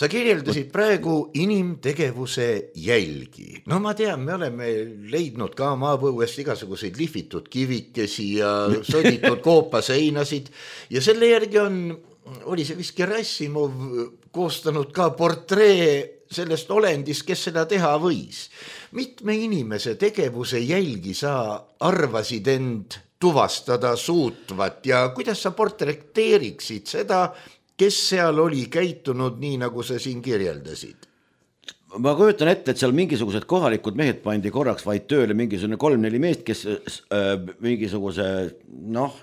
Sa kirjeldasid praegu inimtegevuse jälgi. No ma tean, me oleme leidnud ka maapõuest igasuguseid lihvitud kivikesi ja soditud koopaseinasid ja selle järgi on oli see vist Gerassimov koostanud ka portree sellest olendist, kes seda teha võis. Mitme inimese tegevuse jälgi sa arvasid end tuvastada suutvat ja kuidas sa portreteeriksid seda, kes seal oli käitunud nii, nagu sa siin kirjeldasid? Ma kujutan ette, et seal mingisugused kohalikud mehed pandi korraks vaid tööle mingisugune kolm-neli meest, kes äh, mingisuguse, noh,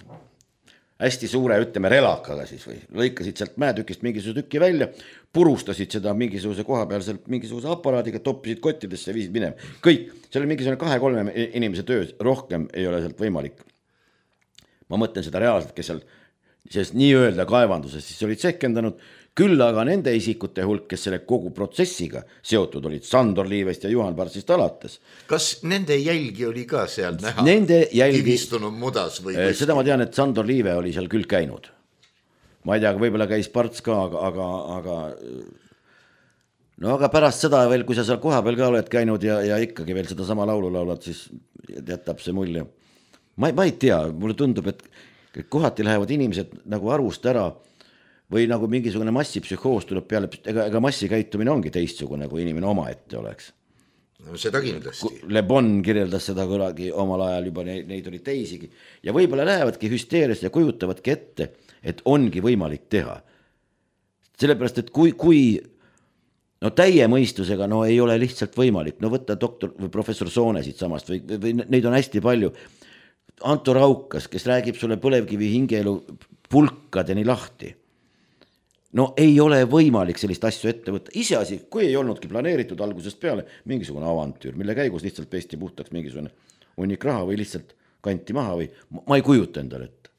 hästi suure, ütleme, relakaga siis või lõikasid sealt mäetükist mingisuguse tükki välja, purustasid seda mingisuguse koha peal sealt mingisuguse aparaadiga, toppisid kottidesse ja viisid minema. Kõik, seal oli mingisugune kahe-kolme inimese töö, rohkem ei ole sealt võimalik. Ma mõtlen seda reaalselt, kes seal sest nii öelda kaevanduses siis olid sekendanud, küll aga nende isikute hulk, kes selle kogu protsessiga seotud olid, Sandor Liivest ja Juhan Parsist alates. Kas nende jälgi oli ka seal näha? Nende jälgi, kivistunud mudas või äh, seda ma tean, et Sandor Liive oli seal küll käinud. Ma ei tea, võib-olla käis Parts ka, aga, aga, aga no aga pärast seda veel, kui sa seal koha peal ka oled käinud ja, ja ikkagi veel seda sama laulu laulad, siis jätab see mulje. Ma, ma ei tea, mulle tundub, et kohati lähevad inimesed nagu arvust ära või nagu mingisugune massipsühhoos tuleb peale, ega, ega massikäitumine ongi teistsugune, kui inimene oma ette oleks. No seda kindlasti. Le Bon kirjeldas seda kunagi omal ajal juba, neid, neid oli teisigi. Ja võib-olla lähevadki hüsteeriast ja kujutavadki ette, et ongi võimalik teha. Sellepärast, et kui, kui no täie mõistusega no ei ole lihtsalt võimalik, no võtta doktor või professor Soone siit samast või, või neid on hästi palju. Anto Raukas, kes räägib sulle põlevkivi hingeelu pulkadeni lahti. No ei ole võimalik sellist asju ette võtta. Iseasi, kui ei olnudki planeeritud algusest peale mingisugune avantüür, mille käigus lihtsalt pesti puhtaks mingisugune hunnik raha või lihtsalt kanti maha või ma ei kujuta endale ette.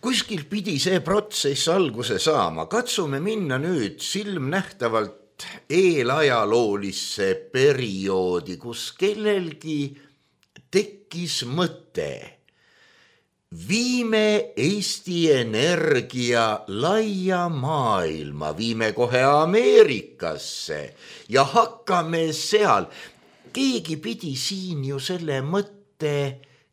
Kuskil pidi see protsess alguse saama. Katsume minna nüüd silmnähtavalt eelajaloolisse perioodi, kus kellelgi tekkis mõte. Viime Eesti Energia laia maailma, viime kohe Ameerikasse ja hakkame seal. Keegi pidi siin ju selle mõtte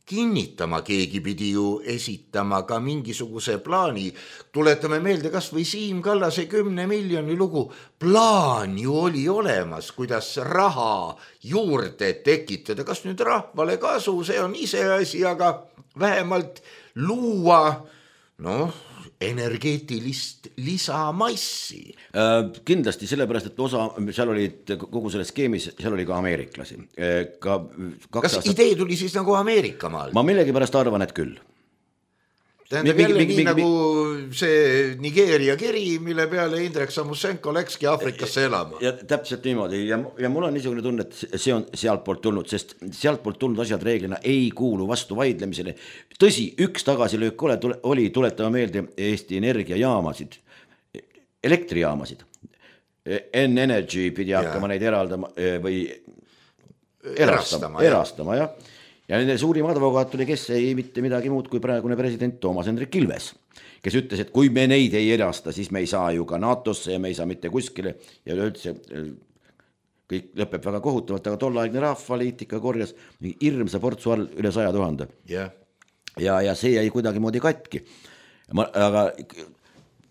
kinnitama, keegi pidi ju esitama ka mingisuguse plaani. Tuletame meelde kas või Siim Kallase kümne miljoni lugu. Plaan ju oli olemas, kuidas raha juurde tekitada. Kas nüüd rahvale kasu, see on iseasi, aga vähemalt luua noh, energeetilist lisamassi. Äh, kindlasti sellepärast, et osa, seal olid kogu selles skeemis, seal oli ka ameeriklasi. Ka Kas aastat... idee tuli siis nagu Ameerika maal? Ma millegipärast arvan, et küll. Tähendab jälle mingi, nii mingi, nagu see Nigeeria kiri, mille peale Indrek Samusenko läkski Afrikasse elama. Ja täpselt niimoodi ja, ja mul on niisugune tunne, et see on sealt poolt tulnud, sest sealt poolt tulnud asjad reeglina ei kuulu vastu vaidlemisele. Tõsi, üks tagasilöök ole, tule, oli, tuletama meelde Eesti energiajaamasid, elektrijaamasid. N-Energy pidi hakkama ja. Neid eraldama või erastama, erastama, erastama jah. Ja nende suurim advokaat oli, kes ei mitte midagi muud kui praegune president Toomas Hendrik Ilves, kes ütles, et kui me neid ei erasta, siis me ei saa ju ka NATOsse ja me ei saa mitte kuskile ja üldse kõik lõpeb väga kohutavalt, aga tollaegne rahvaliitika korjas hirmsa portsu all üle saja tuhande. Yeah. Ja, ja see jäi kuidagi moodi katki. Ma, aga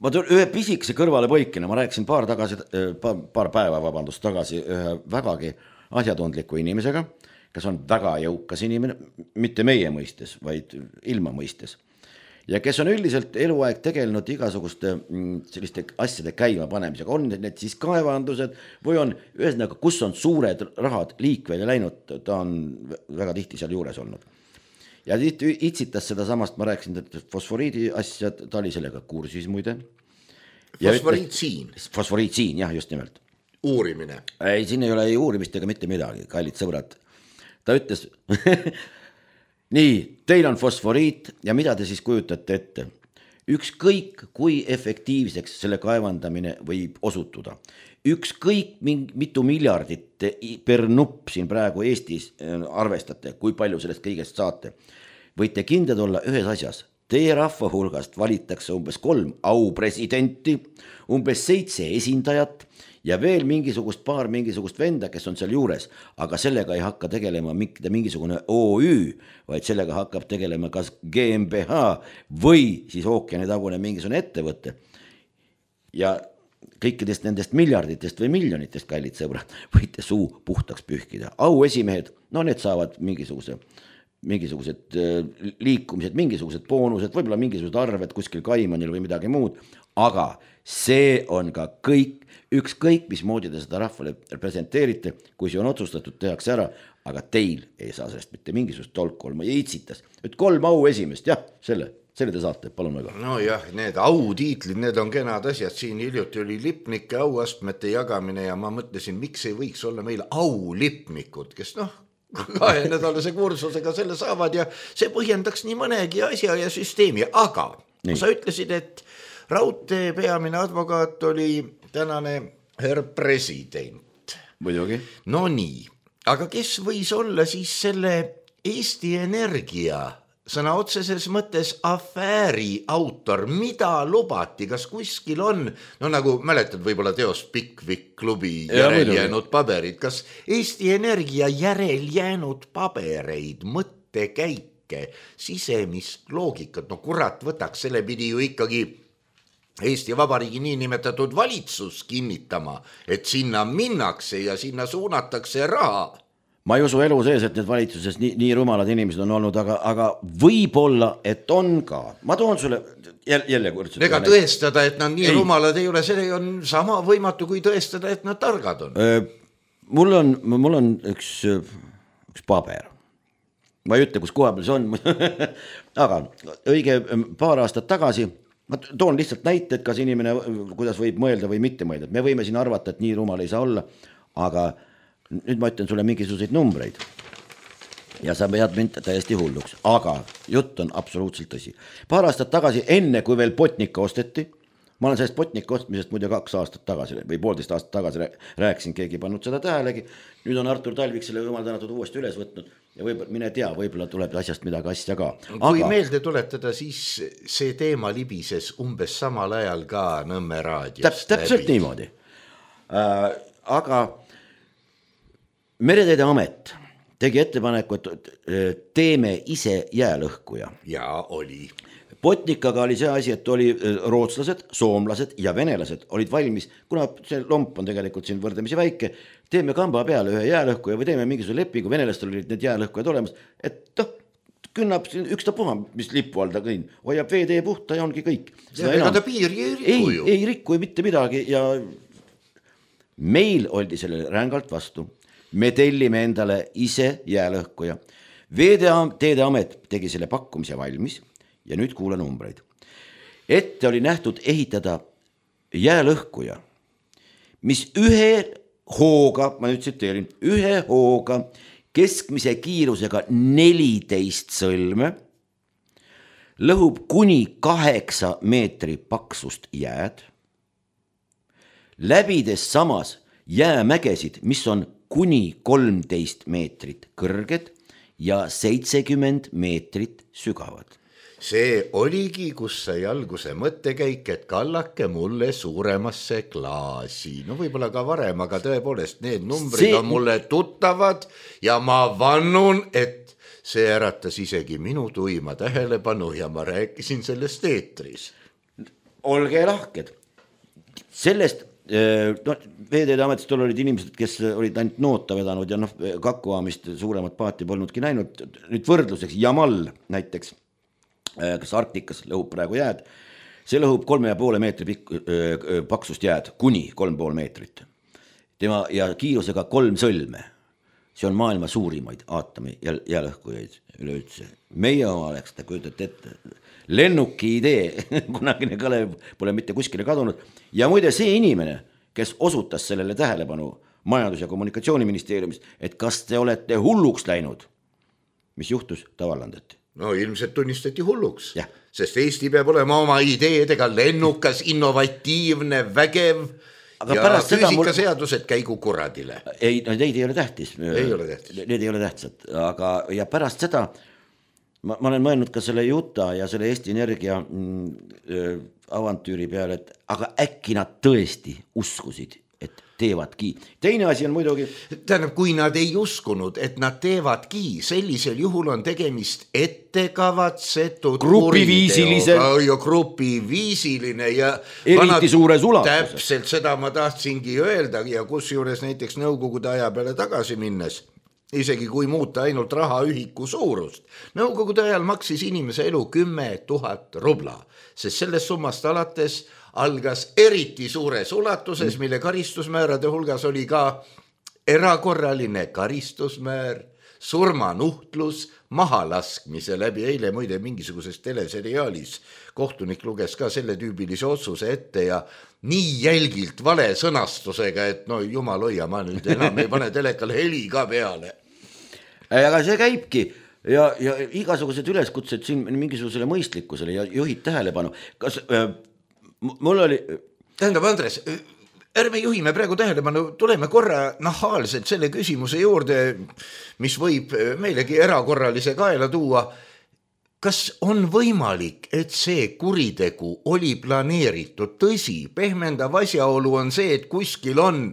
ma tulen ühe pisikese kõrvale põikina, ma rääkisin paar, tagasi, paar päeva vabandust tagasi ühe vägagi asjatundliku inimesega, kes on väga jõukas inimene, mitte meie mõistes, vaid ilma mõistes. Ja kes on üldiselt eluaeg tegelenud igasuguste selliste asjade käima panemisega, on need siis kaevandused või on ühesõnaga, kus on suured rahad liikvele läinud, ta on väga tihti seal juures olnud. Ja tihti itsitas seda samast, ma rääkisin, et fosforiidi asja, ta oli sellega kursis muide. Fosforiitsiin. Fosforiitsiin, jah, just nimelt. Uurimine. Ei, siin ei ole ei uurimist ega mitte midagi, kallid sõbrad. Ta ütles, nii, teil on fosforiit ja mida te siis kujutate ette? Ükskõik, kui efektiivseks selle kaevandamine võib osutuda. Ükskõik, mitu miljardit per nupp siin praegu Eestis arvestate, kui palju sellest kõigest saate. Võite kindlad olla ühes asjas. Teie rahva hulgast valitakse umbes kolm aupresidenti, umbes seitse esindajat ja veel mingisugust paar mingisugust venda, kes on seal juures, aga sellega ei hakka tegelema mingisugune O Ü, vaid sellega hakkab tegelema kas G M B H või siis ookeanitagune mingisugune ettevõte. Ja kõikidest nendest miljarditest või miljonitest, kallid sõbrad, võite suu puhtaks pühkida. Auesimehed, no need saavad mingisuguse mingisugused liikumised, mingisugused boonused, võib-olla mingisugused arved kuskil Kaimanil või midagi muud, aga see on ka kõik, ükskõik mismoodi te seda rahvale presenteerite, kui see on otsustatud, tehakse ära, aga teil ei saa sellest mitte mingisugust tolku olema ja itsitas. Et kolm au esimest, jah, selle, selle te saate, palun väga. No jah, need autiitlid, need on kenad asjad, siin hiljuti oli lipnike auastmete jagamine ja ma mõtlesin, miks ei võiks olla meil aulipnikud, kes noh, kahe nädalase kursusega selle saavad ja see põhjendaks nii mõnegi asja ja süsteemi, aga nii. Sa ütlesid, et raudtee peamine advokaat oli tänane herr president. Muidugi. No nii, aga kes võis olla siis selle Eesti Energia sõna otseses mõttes afääri autor, mida lubati, kas kuskil on, no nagu mäletad võib-olla teost Pickwick klubi järel jäänud paberid, kas Eesti Energia järel jäänud pabereid, mõttekäike, sisemist loogikat, no kurat võtaks, selle pidi ju ikkagi Eesti Vabariigi niinimetatud valitsus kinnitama, et sinna minnakse ja sinna suunatakse raha. Ma ei usu elu sees, et need valitsuses nii, nii rumalad inimesed on olnud, aga, aga võib-olla, et on ka. Ma toon sulle jälle, jälle kurtselt. Ega tõestada, et nad nii ei. rumalad ei ole, see on sama võimatu kui tõestada, et nad targad on. Mul on, mul on üks, üks paber. Ma ei ütle, kus koha peal see on. Aga õige paar aastat tagasi, ma toon lihtsalt näite, et kas inimene, kuidas võib mõelda või mitte mõelda. Me võime siin arvata, et nii rumal ei saa olla, aga nüüd ma ütlen sulle mingisuguseid numbreid ja sa pead mind täiesti hulluks, aga jutt on absoluutselt tõsi. Paar aastat tagasi, enne kui veel Botnica osteti, ma olen sellest Botnica ostmisest muide kaks aastat tagasi või poolteist aastat tagasi rääkisin, keegi pannud seda tähelegi, nüüd on Artur Talvik selle jumal tänatud uuesti üles võtnud ja võib, mine tea, võib-olla tuleb asjast midagi asja ka. Kui aga meelde tuletada, siis see teema libises umbes samal ajal ka Nõmme raadios. Täp, täpselt läbi. Niimoodi. Äh, aga Mereteede amet tegi ettepaneku, et teeme ise jäälõhkuja. Ja oli. Botnikaga oli see asi, et oli rootslased, soomlased ja venelased olid valmis, kuna see lomp on tegelikult siin võrdlemisi väike, teeme kamba peale ühe jäälõhkuja või teeme mingisuguse lepingu, venelastel olid need jäälõhkujad olemas, et noh, künnab üks ta puha, mis lipu all ta kõin, hoiab veetee puhta ja ongi kõik. Ega ta piiri ei rikku ju. Ei, ei rikku mitte midagi ja meil oldi sellele rängalt vastu. Me tellime endale ise jäälõhkuja. Veeteede Amet tegi selle pakkumise valmis ja nüüd kuula numbreid. Ette oli nähtud ehitada jäälõhkuja, mis ühe hooga, ma nüüd tsiteerin, ühe hooga keskmise kiirusega neliteist sõlme lõhub kuni kaheksa meetri paksust jääd, läbides samas jäämägesid, mis on kuni kolmteist meetrit kõrged ja seitsekümmend meetrit sügavad. See oligi, kus sai alguse mõttekäik, et kallake mulle suuremasse klaasi. No võib-olla ka varem, aga tõepoolest need numbrid see... on mulle tuttavad ja ma vannun, et see äratas isegi minu tuima tähelepanu ja ma rääkisin sellest eetris. Olge lahked. Sellest no, Veeteede Ametist olid inimesed, kes olid ainult noota vedanud ja noh, kakkuaamist suuremat paati polnudki näinud. Nüüd võrdluseks Jamal näiteks, kes Arktikas lõhub praegu jääd, see lõhub kolme ja poole meetri pikk, paksust jääd, kuni kolm pool meetrit. Tema ja kiirusega kolm sõlme. See on maailma suurimaid aatomi jäälõhkujaid üleüldse. Meie oma oleks, ta kujutate ette, lennuki idee, kunagine Kalev pole mitte kuskile kadunud. Ja muide see inimene, kes osutas sellele tähelepanu Majandus- ja Kommunikatsiooniministeeriumis, et kas te olete hulluks läinud, mis juhtus, ta vallandati. No ilmselt tunnistati hulluks, ja. Sest Eesti peab olema oma ideedega lennukas, innovatiivne, vägev aga ja füüsikaseadused mul... käigu kuradile. Ei, no neid ei ole tähtis. Ei ole tähtis. Need ei ole tähtsad, aga ja pärast seda ma, ma olen mõelnud ka selle Juta ja selle Eesti Energia mm, avantüüri peale, et aga äkki nad tõesti uskusid, et teevadki. Teine asi on muidugi... Tähendab, kui nad ei uskunud, et nad teevadki, sellisel juhul on tegemist ettekavatsetud grupiviisilise ja grupiviisiline ja eriti suures ulatuses. Täpselt seda ma tahtsingi öelda ja kus juures näiteks Nõukogude aja peale tagasi minnes, isegi kui muuta ainult rahaühiku suurust. Nõukogude ajal maksis inimese elu kümme tuhat rubla, sest sellest summast alates algas eriti suures ulatuses, mille karistusmäärade hulgas oli ka erakorraline karistusmäär, surmanuhtlus, mahalaskmise läbi. Eile muide mingisuguses teleseriaalis kohtunik luges ka selle tüübilise otsuse ette ja nii jälgilt vale sõnastusega, et no jumal hoia, ma nüüd enam ei pane telekale heli ka peale. Aga see käibki ja, ja igasugused üleskutsed siin mingisugusele mõistlikkusele ja juhid tähelepanu. Kas... Äh, Mul oli... Tähendab, Andres, ärme juhime praegu tähelepanu, tuleme korra nahaalselt selle küsimuse juurde, mis võib meilegi erakorralise kaela tuua. Kas on võimalik, et see kuritegu oli planeeritud? Tõsi, pehmendav asjaolu on see, et kuskil on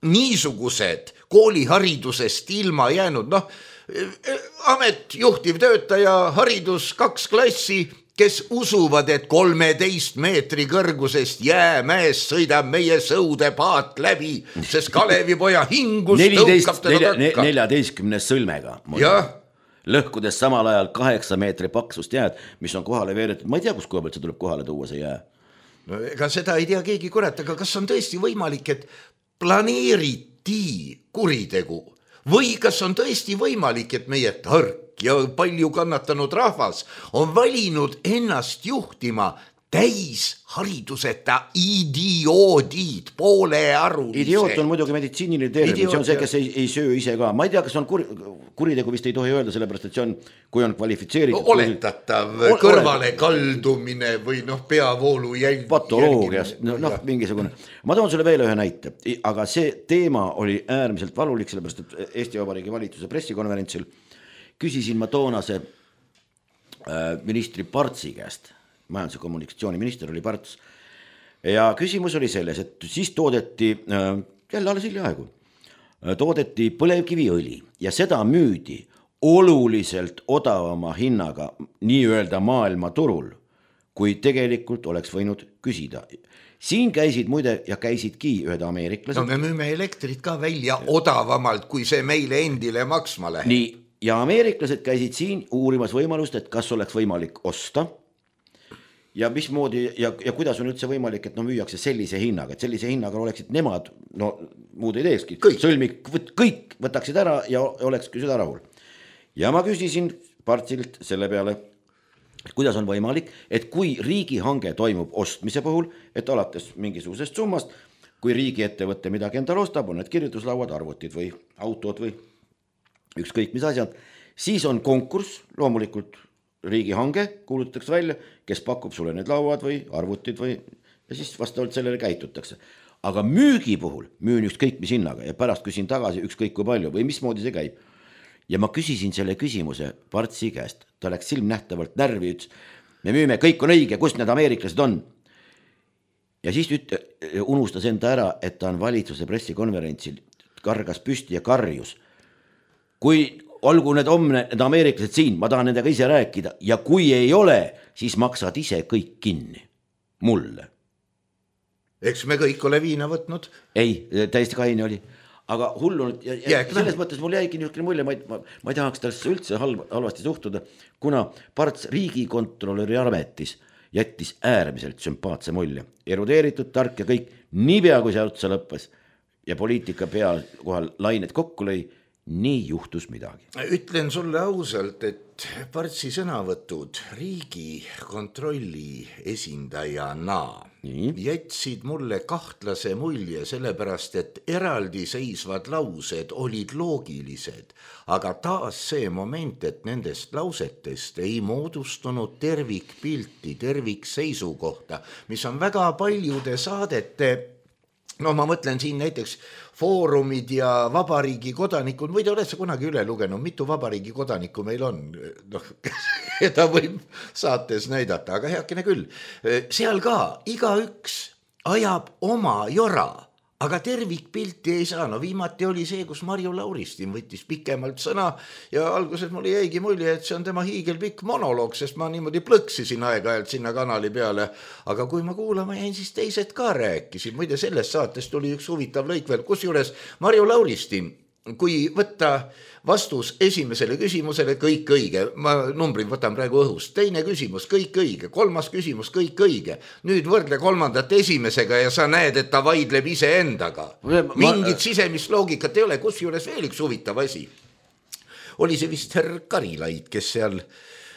niisugused kooliharidusest ilma jäänud, noh, amet, juhtiv töötaja, haridus, kaks klassi, kes usuvad, et kolmeteist meetri kõrgusest jäämäest sõidab meie sõudepaat läbi, sest Kalevipoja hingus tõukab teda takka. neljateistkümnes sõlmega. Lõhkudes samal ajal kaheksa meetri paksust jääd, mis on kohale veeretud. Ma ei tea, kus koha pealt see tuleb kohale tuua see jää. No, ega seda ei tea keegi kurat, aga kas on tõesti võimalik, et planeeriti kuritegu või kas on tõesti võimalik, et meie tark ja palju kannatanud rahvas on valinud ennast juhtima täis hariduseta idioodid, poolearulise. Idioot on muidugi meditsiiniline termin, see on see, kes ei, ei söö ise ka. Ma ei tea, kas on kur, kuritegu vist ei tohi öelda, sellepärast, et see on, kui on kvalifitseeritud. No, oletatav kui... kõrvale kaldumine või noh, peavoolu jälg... patoloogias, noh, no, mingisugune. Ma toon sulle veel ühe näite, aga see teema oli äärmiselt valulik, sellepärast, et Eesti Vabariigi valitsuse pressikonverentsil küsisin ma toonase äh, ministri Partsi käest, majandus- ja kommunikatsiooniminister oli Parts, ja küsimus oli selles, et siis toodeti äh, jälle alles hiljaaegu toodeti põlevkiviõli ja seda müüdi oluliselt odavama hinnaga nii-öelda maailmaturul, kui tegelikult oleks võinud küsida. Siin käisid muide ja käisidki ühed ameeriklased. No me müüme elektrit ka välja odavamalt, kui see meile endile maksma läheb. Nii, ja ameeriklased käisid siin uurimas võimalust, et kas oleks võimalik osta ja mismoodi ja, ja kuidas on üldse võimalik, et no müüakse sellise hinnaga, et sellise hinnaga oleksid nemad, no muud ei teekski, sõlmik, kõik võtaksid ära ja olekski seda rahul. Ja ma küsisin Partsilt selle peale, kuidas on võimalik, et kui riigihange toimub ostmise puhul, et alates mingisugusest summast, kui riigiettevõtte midagi endal ostab, on need kirjutuslauad, arvutid või autod või ükskõik mis asjad, siis on konkurss, loomulikult riigihange kuulutatakse välja, kes pakub sulle need lauad või arvutid või ja siis vastavalt sellele käitutakse. Aga müügi puhul müün ükskõik mis hinnaga ja pärast küsin tagasi ükskõik kui palju või mismoodi see käib. Ja ma küsisin selle küsimuse Partsi käest, ta läks silmnähtavalt närvi, ütles, me müüme, kõik on õige, kus need ameeriklased on. Ja siis üt, unustas enda ära, et ta on valitsuse pressikonverentsil, kargas püsti ja karjus. Kui olgu need omne, need ameeriklased siin, ma tahan nendega ise rääkida ja kui ei ole, siis maksad ise kõik kinni. Mulle. Eks me kõik ole viina võtnud? Ei, täiesti kaine oli. Aga hullu ja, ja selles mõttes mul jäigi niisugune mulje, ma ei, ma, ma ei tahaks tällasse üldse halb, halvasti suhtuda, kuna Parts riigikontrolöri ametis jättis äärmiselt sümpaatse mulje. Erudeeritud, tark ja kõik, niipea kui see otsa lõppes ja poliitika peal kohal lained kokku lõi, nii juhtus midagi. Ütlen sulle ausalt, et Partsi sõnavõtud riigi kontrolli esindajana nii jätsid mulle kahtlase mulje, sellepärast, et eraldi seisvad laused olid loogilised, aga taas see moment, et nendest lausetest ei moodustunud tervikpilti, tervikseisukohta, mis on väga paljude saadete, no ma mõtlen siin näiteks foorumid ja vabariigi kodanikud, või te olete kunagi üle lugenud, mitu vabariigi kodanikku meil on, noh, keda võib saates näidata, aga heakene küll. Seal ka igaüks ajab oma jora, aga tervikpilti ei saa. No viimati oli see, kus Marju Lauristin võttis pikemalt sõna ja alguses mul jäigi mulje, et see on tema hiigelpikk monoloog, sest ma niimoodi plõksisin aeg-ajalt sinna kanali peale. Aga kui ma kuulama jäin, siis teised ka rääkisid. Muide, sellest saatest tuli üks huvitav lõik veel, kus juures Marju Lauristin, kui võtta vastus esimesele küsimusele, kõik õige, ma numbrid võtan praegu õhust, teine küsimus, kõik õige, kolmas küsimus, kõik õige, nüüd võrdle kolmandat esimesega ja sa näed, et ta vaidleb ise endaga. Mingit ma... sisemist loogikat ei ole, kus juures veel üks huvitav asi. Oli see vist herr Karilaid, kes seal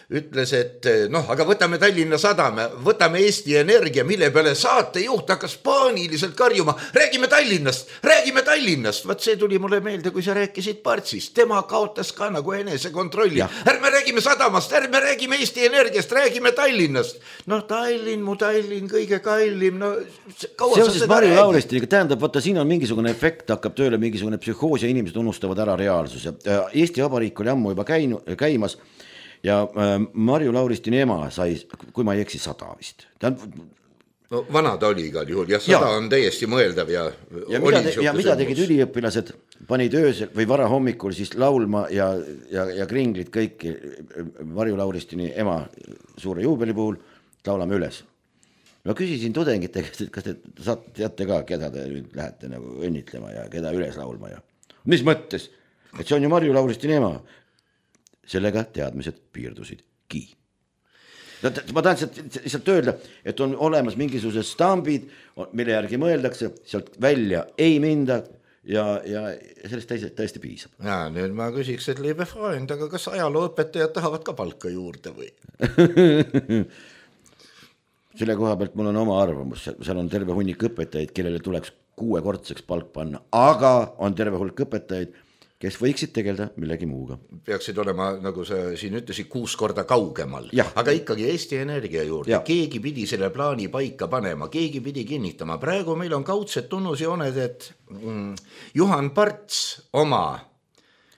ütles, et noh, aga võtame Tallinna Sadame, võtame Eesti Energia, mille peale saatejuht hakkas paaniliselt karjuma, räägime Tallinnast, räägime Tallinnast. Vaat see tuli mulle meelde, kui sa rääkisid Partsist, tema kaotas ka nagu enese kontrolli. Ärme räägime Sadamast, ärme räägime Eesti Energiast, räägime Tallinnast. Noh, Tallinn, mu Tallinn, kõige kallim, no seoses Marju Lauristiniga, tähendab, võtta siin on mingisugune efekt, hakkab tööle mingisugune psühhoos ja inimesed unustavad ära reaalsuse. Eesti Vabariik oli ammu juba käinu, käimas ja äh, Marju Lauristini ema sai, kui ma ei eksi, sada vist. Ta on... no, vana ta oli igal juhul, jah, sada ja. On täiesti mõeldav ja, ja mida, te, ja mida tegid üliõpilased, panid öösel või vara hommikul siis laulma ja, ja, ja kringlid kõik Marju Lauristini ema suure juubeli puhul, laulame üles. Ma küsisin tudengite, kas te saate, teate ka, keda te nüüd lähete nagu õnnitlema ja keda üles laulma ja mis mõttes, et see on ju Marju Lauristini ema. Sellega teadmised piirdusidki. Ma tahan lihtsalt öelda, et on olemas mingisugused stambid, mille järgi mõeldakse, sealt välja ei minda ja, ja sellest täiesti, täiesti piisab. Ja, nüüd ma küsiks, et liebe Freund, aga kas ajalooõpetajad tahavad ka palka juurde või? Selle koha pealt mul on oma arvamus, seal on terve hunnik õpetajaid, kellele tuleks kuuekordseks palk panna, aga on terve hulk õpetajaid, kes võiksid tegelda millegi muuga. Peaksid olema, nagu sa siin ütlesid, kuus korda kaugemal. Ja. Aga ikkagi Eesti Energia juurde. Ja. Keegi pidi selle plaani paika panema, keegi pidi kinnitama. Praegu meil on kaudsed tunnusjooned, et mm, Juhan Parts oma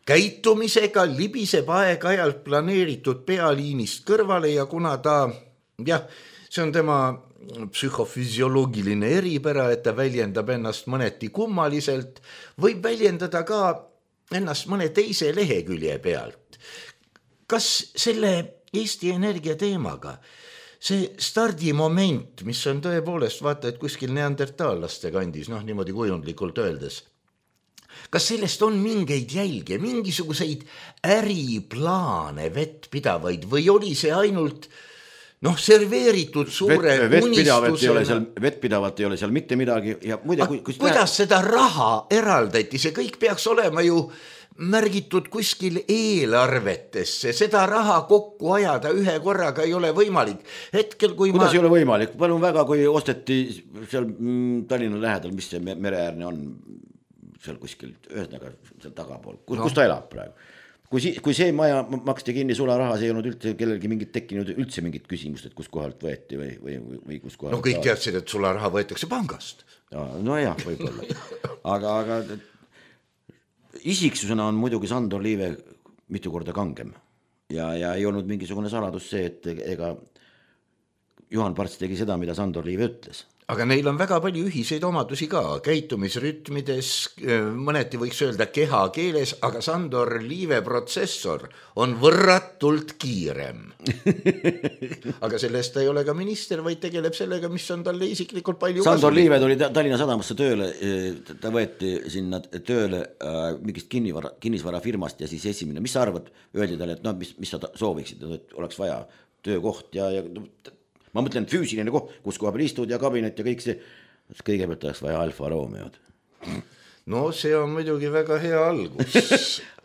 käitumisega libiseb aeg-ajalt planeeritud pealiinist kõrvale ja kuna ta, jah, see on tema psühhofüsioloogiline eripära, et ta väljendab ennast mõneti kummaliselt, võib väljendada ka ennast mõne teise lehekülje pealt. Kas selle Eesti Energia teemaga see stardimoment, mis on tõepoolest vaata, et kuskil neandertaallaste kandis, noh niimoodi kujundlikult öeldes, kas sellest on mingeid jälge, mingisuguseid äriplaane vettpidavaid või oli see ainult noh, serveeritud suure Vet, unistusena? Vettpidavat ei ole seal mitte midagi ja muide, kui, kui kuidas näe... seda raha eraldati, see kõik peaks olema ju märgitud kuskil eelarvetesse, seda raha kokku ajada ühe korraga ei ole võimalik. Hetkel, kui kuidas ma... ei ole võimalik? Palun väga, kui osteti seal Tallinna lähedal, mis see mereäärne on, seal kuskil, ühesõnaga seal tagapool, kus, no. kus ta elab praegu. Kui, si, kui see maja maksti kinni sularaha, see ei olnud üldse kellelgi mingit tekkinud üldse mingit küsimust, et kus kohalt võeti või, või, või kus kohalt. No kõik teadsid, et sularaha võetakse pangast. Ja, no jah, võib-olla. Aga, aga isiksusena on muidugi Sandor Liive mitu korda kangem ja, ja ei olnud mingisugune saladus see, et ega Juhan Parts tegi seda, mida Sandor Liive ütles. Aga neil on väga palju ühiseid omadusi ka, käitumisrütmides, mõneti võiks öelda keha keeles, aga Sandor Liive protsessor on võrratult kiirem. Aga sellest ei ole ka minister, vaid tegeleb sellega, mis on talle isiklikult palju Sandor kasulik. Liive tuli Tallinna Sadamasse tööle, ta võeti sinna tööle mingist kinnisvara, kinnisvarafirmast ja siis esimene, mis sa arvad, öeldi talle, et no, mis, mis sa sooviksid, et oleks vaja töökoht ja, ja ma mõtlen füüsiline koht, kus koha peal istud ja kabinet ja kõik see, kõigepealt oleks vaja Alfa Romeod. No see on muidugi väga hea algus.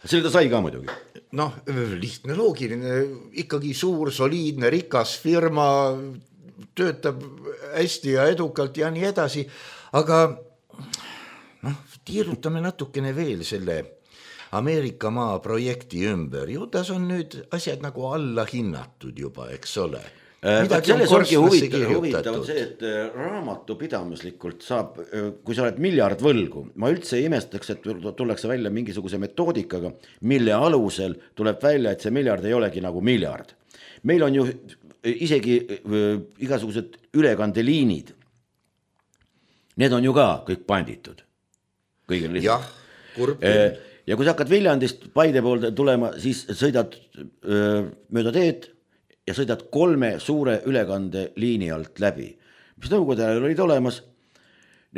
Selle ta sai ka muidugi. Noh, lihtne, loogiline, ikkagi suur, soliidne, rikas firma, töötab hästi ja edukalt ja nii edasi, aga noh, tiirutame natukene veel selle Ameerika maa projekti ümber. Ju tas on nüüd asjad nagu alla hinnatud juba, eks ole. Selles ongi huvitav, huvitav see, et raamatupidamislikult saab, kui sa oled miljard võlgu, ma üldse ei imestaks, et tullakse välja mingisuguse metoodikaga, mille alusel tuleb välja, et see miljard ei olegi nagu miljard. Meil on ju isegi igasugused ülekandeliinid, need on ju ka kõik panditud. Jah, kurb. Ja kui sa hakkad Viljandist Paide poolde tulema, siis sõidad mööda teed, ja sõidad kolme suure ülekandeliini alt läbi. Mis nõukogude ajal olid olemas,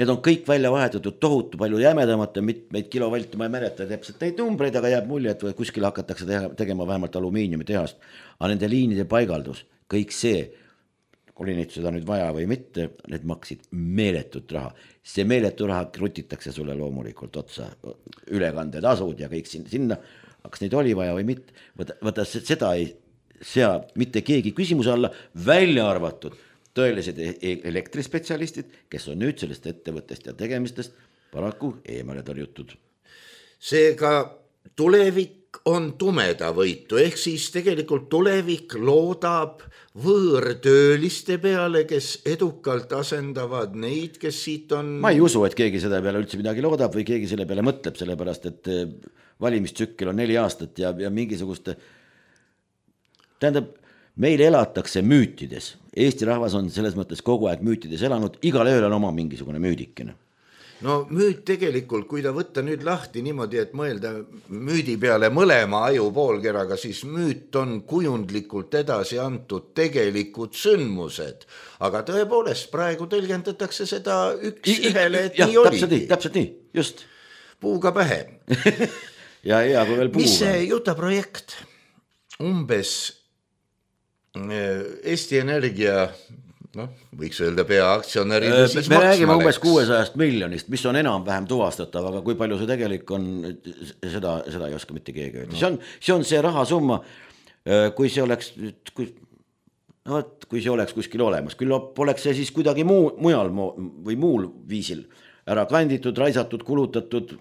need on kõik välja vahetatud tohutu palju jämedamate mitmeid kilovalti, ma ei mäleta täpselt neid numbreid, aga jääb mulje, et kuskil hakatakse tegema vähemalt alumiiniumi tehast. Aga nende liinide paigaldus, kõik see, oli neid seda nüüd vaja või mitte, need maksid meeletut raha. See meeletu raha krutitakse sulle loomulikult otsa, ülekanded asud ja kõik sinna, kas neid oli vaja või mitte, võta, võta seda ei sea mitte keegi küsimuse alla, välja arvatud tõelised elektrispetsialistid, kes on nüüd sellest ettevõttest ja tegemistest paraku eemale tõrjutud. Seega tulevik on tumedavõitu, ehk siis tegelikult tulevik loodab võõrtööliste peale, kes edukalt asendavad neid, kes siit on... Ma ei usu, et keegi selle peale üldse midagi loodab või keegi selle peale mõtleb, sellepärast et valimistsükkel on neli aastat ja, ja mingisuguste tähendab, meil elatakse müütides. Eesti rahvas on selles mõttes kogu aeg müütides elanud, igal ööl on oma mingisugune müüdikene. No müüt tegelikult, kui ta võtta nüüd lahti niimoodi, et mõelda müüdi peale mõlema aju poolkeraga, siis müüt on kujundlikult edasi antud tegelikud sündmused. Aga tõepoolest, praegu tõlgendatakse seda üks I, ühele, et jah, nii oligi. Täpselt nii, täpselt nii, just. Puuga pähe. ja, ja, kui veel puuga. Mis see Juta projekt umbes... Eesti Energia, noh, võiks öelda peaaktsionäri. Me räägime umbes kuuesajast miljonist, mis on enam-vähem tuvastatav, aga kui palju see tegelik on, seda, seda ei oska mitte keegi öelda. See on, see on see rahasumma, kui see oleks, kui, no, kui see oleks kuskil olemas, küll poleks see siis kuidagi muu, mujal või muul viisil ära kanditud, raisatud, kulutatud.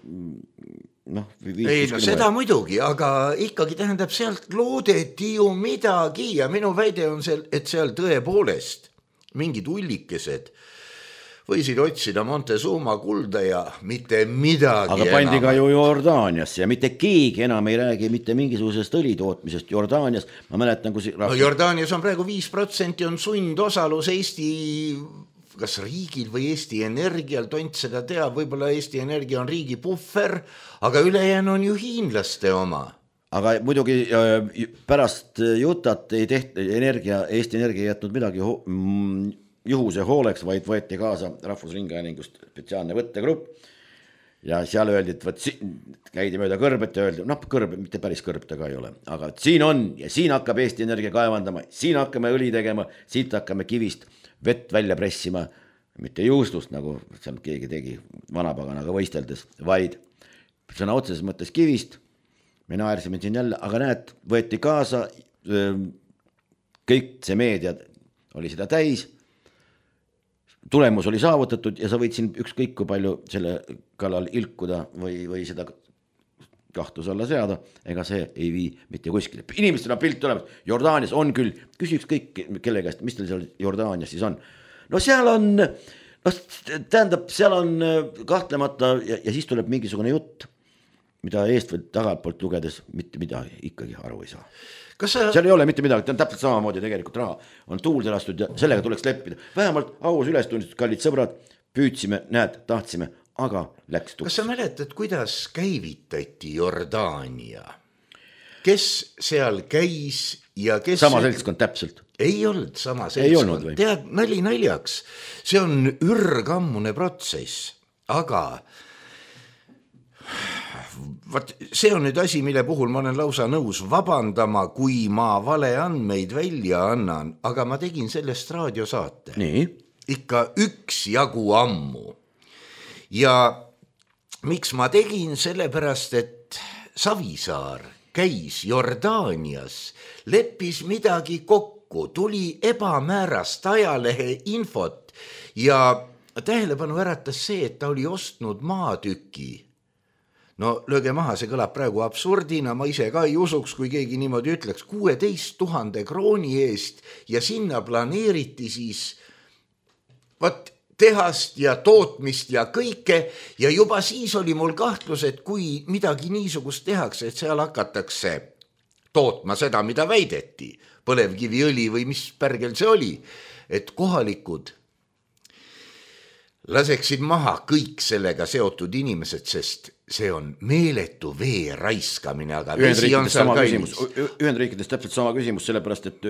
No, ei, no seda muidugi, aga ikkagi tähendab, sealt loodeti ju midagi ja minu väide on seal, et seal tõepoolest mingid ullikesed võisid otsida Montezuma kulda ja mitte midagi aga pandi ka ju Jordaaniasse ja mitte keegi enam ei räägi mitte mingisugusest õlitootmisest Jordaanias. Ma mäletan, kui no, Jordaanias on praegu viis protsenti on sundosalus Eesti kas riigil või Eesti Energial, tont seda teab, võib-olla Eesti Energia on riigi puhver, aga ülejäänu on ju hiinlaste oma. Aga muidugi pärast Jutat ei tehti energia, Eesti Energia ei jätnud midagi ho- juhuse hooleks, vaid võeti kaasa Rahvusringhäälingust spetsiaalne võttegrupp ja seal öeldi, et võt, käidi mööda kõrbet ja öeldi, noh kõrb, mitte päris kõrb ta ka ei ole, aga siin on ja siin hakkab Eesti Energia kaevandama, siin hakkame õli tegema, siit hakkame kivist vett välja pressima, mitte juustust, nagu seal keegi tegi vanapaganaga võisteldes, vaid sõna otseses mõttes kivist. Me naersime siin jälle, aga näed, võeti kaasa, kõik see meedia oli seda täis, tulemus oli saavutatud ja sa võid siin ükskõik kui palju selle kallal ilkuda või, või seda kahtluse alla seada, ega see ei vii mitte kuskile. Inimestel on pilt olemas, Jordaanias on küll, küsiks kõik kelle käest, mis teil seal Jordaanias siis on. No seal on, no, tähendab, seal on kahtlemata ja, ja siis tuleb mingisugune jutt, mida eest või tagalt poolt lugedes mitte midagi ikkagi aru ei saa. Sa... seal ei ole mitte midagi, ta on täpselt samamoodi tegelikult raha, on tuulde lastud ja sellega tuleks leppida. Vähemalt aus ülestunnistud, kallid sõbrad, püüdsime, näed, tahtsime, aga läks tuks. Kas sa mäletad, kuidas käivitati Jordaania? Kes seal käis ja kes... Sama seltskond täpselt. Ei olnud sama seltskond. Tead, nali naljaks, see on ürgammune protsess, aga... Vaat, see on nüüd asi, mille puhul ma olen lausa nõus vabandama, kui ma vale andmeid välja annan, aga ma tegin sellest raadiosaate. Nii? Ikka üks jagu ammu. Ja miks ma tegin? Sellepärast, et Savisaar käis Jordaanias, leppis midagi kokku, tuli ebamäärast ajalehe infot ja tähelepanu äratas see, et ta oli ostnud maatüki. No lööge maha, see kõlab praegu absurdina, ma ise ka ei usuks, kui keegi niimoodi ütleks, kuueteist tuhande krooni eest ja sinna planeeriti siis võt, tehast ja tootmist ja kõike ja juba siis oli mul kahtlus, et kui midagi niisugust tehakse, et seal hakatakse tootma seda, mida väideti, põlevkiviõli või mis pärgel see oli, et kohalikud laseksid maha kõik sellega seotud inimesed, sest see on meeletu vee raiskamine, aga vesi on seal kallis. Ühendriikides täpselt sama küsimus, sellepärast, et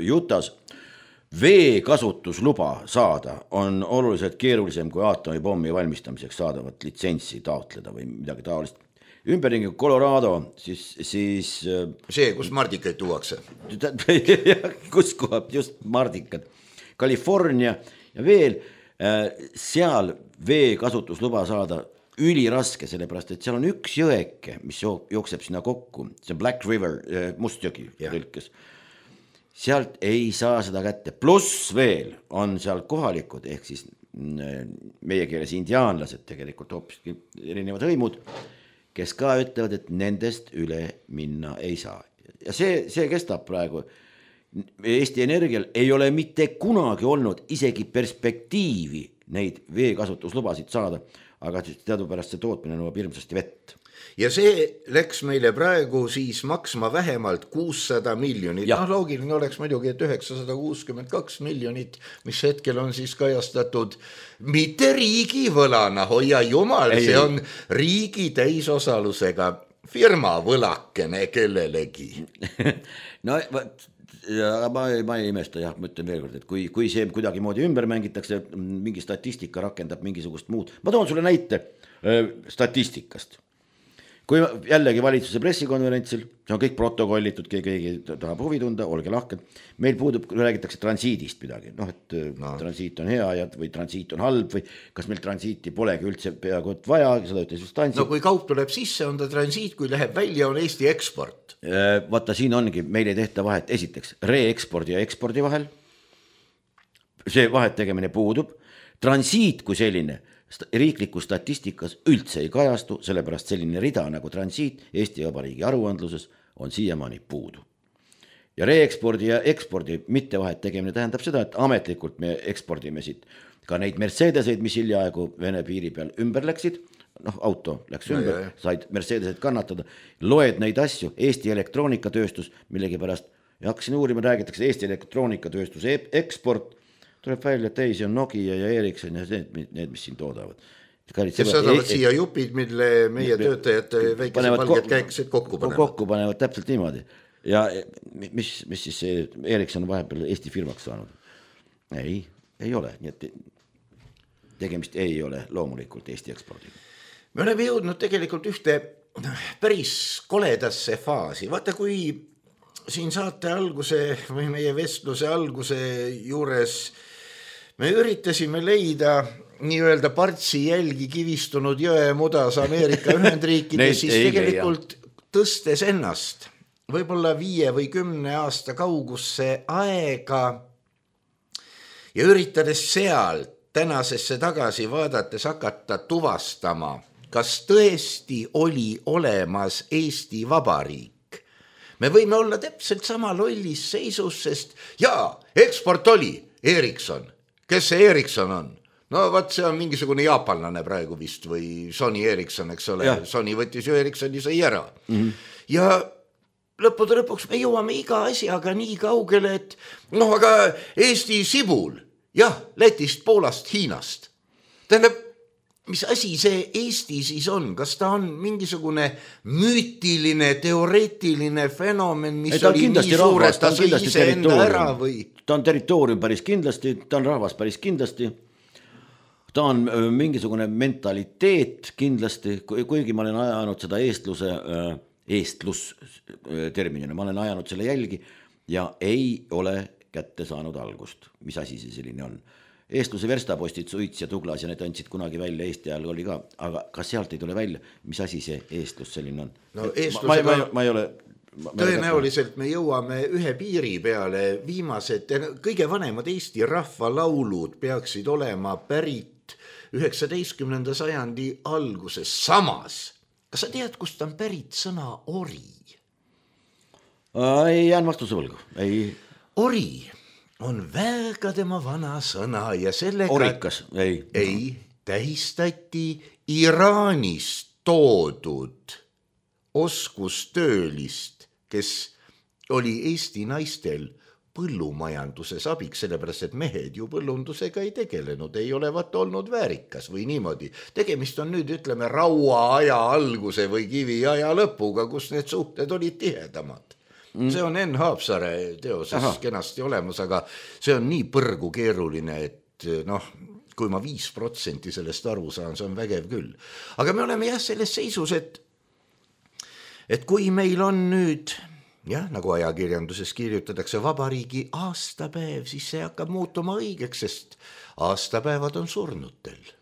Jutas vee kasutusluba saada on oluliselt keerulisem kui aatomipommi valmistamiseks saadavat litsentsi taotleda või midagi taolist. Ümberringi Colorado, siis... siis see, kus mardikaid tuuakse. kus kohab just mardikad. California ja veel seal vee kasutusluba saada üliraske, sellepärast, et seal on üks jõeke, mis jookseb sinna kokku, see Black River, Mustjõgi tõlkes. Sealt ei saa seda kätte, pluss veel on seal kohalikud, ehk siis meie keeles indiaanlased, tegelikult hoopis erinevad hõimud, kes ka ütlevad, et nendest üle minna ei saa. Ja see, see kestab praegu. Eesti Energial ei ole mitte kunagi olnud isegi perspektiivi neid veekasutuslubasid saada, aga teadupärast see tootmine nõuab hirmsasti vett. Ja see läks meile praegu siis maksma vähemalt kuussada miljonit. No, loogiline oleks muidugi, et üheksasada kuuskümmend kaks miljonit, mis hetkel on siis kajastatud mitte riigi võlana, hoia jumal, ei, see on riigi täisosalusega firma võlakene kellelegi. no, ja ma, ma ei imesta, jah, ma ütlen veel kord, et kui, kui see kuidagi moodi ümber mängitakse, mingi statistika rakendab mingisugust muud. Ma toon sulle näite äh, statistikast. Kui jällegi valitsuse pressikonverentsil, see on kõik protokollitud, keegi, keegi tahab huvi tunda, olge lahked. Meil puudub, kui räägitakse transiidist midagi, noh, et no. Transiit on hea ja, või transiit on halb või kas meil transiiti polegi üldse peaaegu et vaja, seda ütles just Tansi. No kui kaup tuleb sisse, on ta transiit, kui läheb välja, on Eesti eksport. Vaata, siin ongi, meil ei tehta vahet, esiteks, re-ekspordi ja ekspordi vahel. See vahet tegemine puudub. Transiit kui selline riiklikus statistikas üldse ei kajastu, sellepärast selline rida nagu transiit Eesti Vabariigi aruandluses on siiamaani puudu. Ja re-ekspordi ja ekspordi mittevahet tegemine tähendab seda, et ametlikult me ekspordime siit ka neid Mercedeseid, mis hiljaaegu Vene piiri peal ümber läksid, noh auto läks no, ümber, jah, jah. said Mercedeseid kannatada, loed neid asju, Eesti elektroonikatööstus, millegi pärast, ja hakkasin uurima, räägitakse Eesti elektroonikatööstuse eksport, tuleb välja, et ei, see on Nokia ja Ericsson ja need, need mis siin toodavad. Kes saadavad siia jupid, mille meie töötajad väikesed valged käikesed kokku panevad. Kokku panevad täpselt niimoodi. Ja mis, mis siis see Ericsson vahepeal Eesti firmaks saanud? Ei, ei ole. Nii et tegemist ei ole loomulikult Eesti ekspordiga. Me oleme jõudnud tegelikult ühte päris koledasse faasi. Vaata, kui siin saate alguse või meie vestluse alguse juures me üritasime leida nii-öelda partsi jälgi kivistunud jõe mudas Ameerika Ühendriikides, siis tegelikult tõstes ennast võib-olla viie või kümne aasta kaugusse aega ja üritades seal tänasesse tagasi vaadates hakata tuvastama, kas tõesti oli olemas Eesti Vabariik. Me võime olla täpselt sama lollis seisus, sest jaa, eksport oli Ericsson. Kes see Ericsson on? No vaat see on mingisugune jaapanlane praegu vist või Sony Ericsson, eks ole. Ja. Sony võttis ju Ericssoni sai ära. Mm-hmm. Ja lõppude lõpuks me jõuame iga asjaga nii kaugele, et noh, aga Eesti sibul, jah, Lätist, Poolast, Hiinast. Tähendab, mis asi see Eesti siis on? Kas ta on mingisugune müütiline, teoreetiline fenomen, mis ei, oli nii suur, et ta sai ise enda ära või? Ta on territoorium päris kindlasti, ta on rahvas päris kindlasti, ta on mingisugune mentaliteet kindlasti, kuigi ma olen ajanud seda eestluse, eestlus terminina, ma olen ajanud selle jälgi ja ei ole kätte saanud algust, mis asi see selline on. Eestluse verstapostid, Suits ja Tuglas ja need andsid kunagi välja, Eesti ajal oli ka, aga kas sealt ei tule välja, mis asi see eestlus selline on? No, eestlusega... ma, ma, ma ei ole... Ma, tõenäoliselt me jõuame ühe piiri peale, viimased, kõige vanemad Eesti rahvalaulud peaksid olema pärit üheksateistkümnenda sajandi alguses. Samas, kas sa tead, kust on pärit sõna ori? Ei jään vastuse võlgu, ei... Ori on väga tema vana sõna ja sellega... Orikas, ei. Ei, tähistati Iraanist toodud oskustöölist, kes oli Eesti naistel põllumajanduses abiks, sellepärast et mehed ju põllundusega ei tegelenud, ei olevat olnud väärikas või niimoodi. Tegemist on nüüd, ütleme, rauaaja alguse või kiviaja lõpuga, kus need suhted olid tihedamad. Mm. See on Enn Haapsare teoses Aha. kenasti olemas, aga see on nii põrgu keeruline, et noh, kui ma viis protsenti sellest aru saan, see on vägev küll. Aga me oleme jah selles seisus, et et kui meil on nüüd, jah, nagu ajakirjanduses kirjutatakse vabariigi aastapäev, siis see hakkab muutuma õigeks, sest aastapäevad on surnutel.